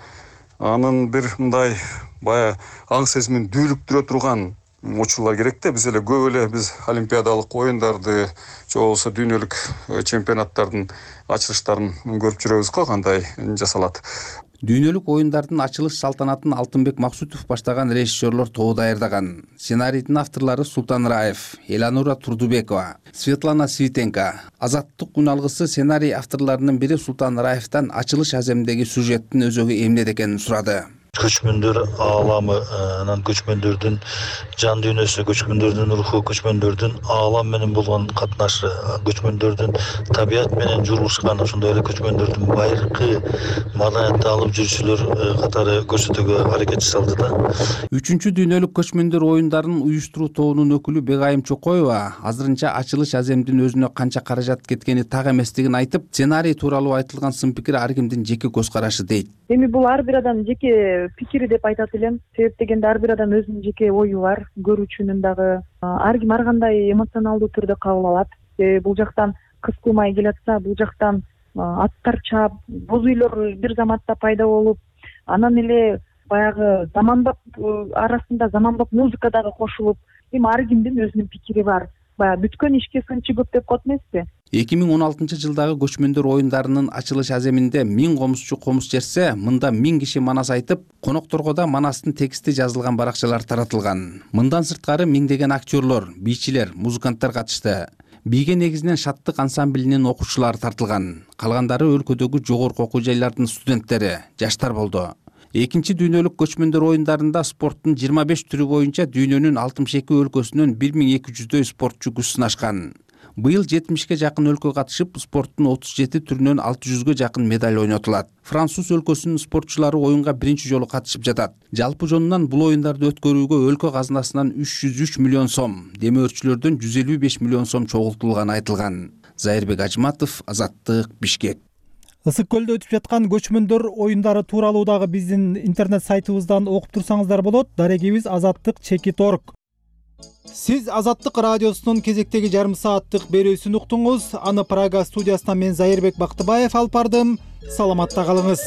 анын бир мындай бая аң сезимин дүүлүктүрө турган учурлар керек да. Биз эле көп эле биз олимпиадалык оюндарды же болбосо дүйнөлүк чемпионаттардын ачылыштарын көрүп жүрөбүз го, кандай жасалат. Дүйнөлүк оюндардын ачылыш салтанатын Алтынбек Максутов баштаган режиссерлор тобу даярдаган. Сценарийдин авторлору Султан Раев, Эланура Турдубекова, Светлана Свитенко. Азаттык үн алгысы сценарий авторлорунун бири Султан Раевтан ачылыш аземиндеги сюжеттин өзөгү эмнеде экенин сурады. Көчмөндөр ааламы, анан көчмөндөрдүн жан дүйнөсү, көчмөндөрдүн руху, көчмөндөрдүн аалам менен болгон катнашы, көчмөндөрдүн табият менен журушкан, ошондой эле көчмөндөрдүн байыркы маданиятты алып жүрүүчүлөр катары көрсөтүүгө аракет жасалды да. 3-чү дүйнөлүк көчмөндөр оюндарын уюштуруу тобунун өкүлү Бегайым Чокоева азырынча ачылыш аземдин өзүнө канча каражат кеткени так эместигин айтып, сценарий тууралуу айтылган сын пикир ар кимдин жеке көз карашы дейт. Эми бул ар бир адам жеке пикири деп айтат элем. Себеп дегенде ар бир адам өзүнүн жеке ою бар, көрүүчүнүн дагы. Ар ким ар кандай эмоционалдуу түрдө кабыл алат. Бул жактан кыз кылмай келатса, бул жактан аттар чаап, боз үйлөр бир заматта пайда болуп, анан эле баягы заманбап арасында заманбап музыка дагы кошулуп, эми ар кимдин өзүнүн пикири бар. Баягы бүткөн ишке сынчы көп деп коет эмеспи? 2016-жылдагы көчмөндөр оюндарынын ачылыш аземинде 1000 комузчу комуз жерсе, мында 1000 киши манас айтып, конокторго да манастын тексти жазылган баракчалар таратылган. Мындан сырткары миңдеген актерлор, бийчилер, музыканттар катышты. бийге негизинен шаттык ансамблинин окуучулары тартылган. Калгандары өлкөдөгү жогорку окуу жайлардын студенттери, жаштар болду. Экинчи дүйнөлүк көчмөндөр оюндарында спорттун 25 түрү боюнча дүйнөнүн 62 өлкөсүнөн 1200дөй спортчу күч сынашкан. Быйыл 70ке жакын өлкө катышып, спорттун 37 түрүнөн 600га жакын медаль ойнотулат. Француз өлкөсүнүн спортчулары оюнга биринчи жолу катышып жатат. Жалпы жонунан бул оюндарды өткөрүүгө өлкө казынасынан 303 миллион сом, демөөрчүлөрдөн 155 миллион сом чогултулганы айтылган. Зайырбек Ажматов, Азаттык, Бишкек. Ысык көлдө өтүп жаткан көчмөндөр оюндары тууралуу дагы биздин интернет сайтыбыздан окуп турсаңыздар болот. Дарегибиз azattik.org. Сиз Азаттык радиосунун кезектеги жарым сааттык берүүсүн уктуңуз. Аны Прага студиясынан мен Зайырбек Бактыбаев алып бардым. Саламатта калыңыз.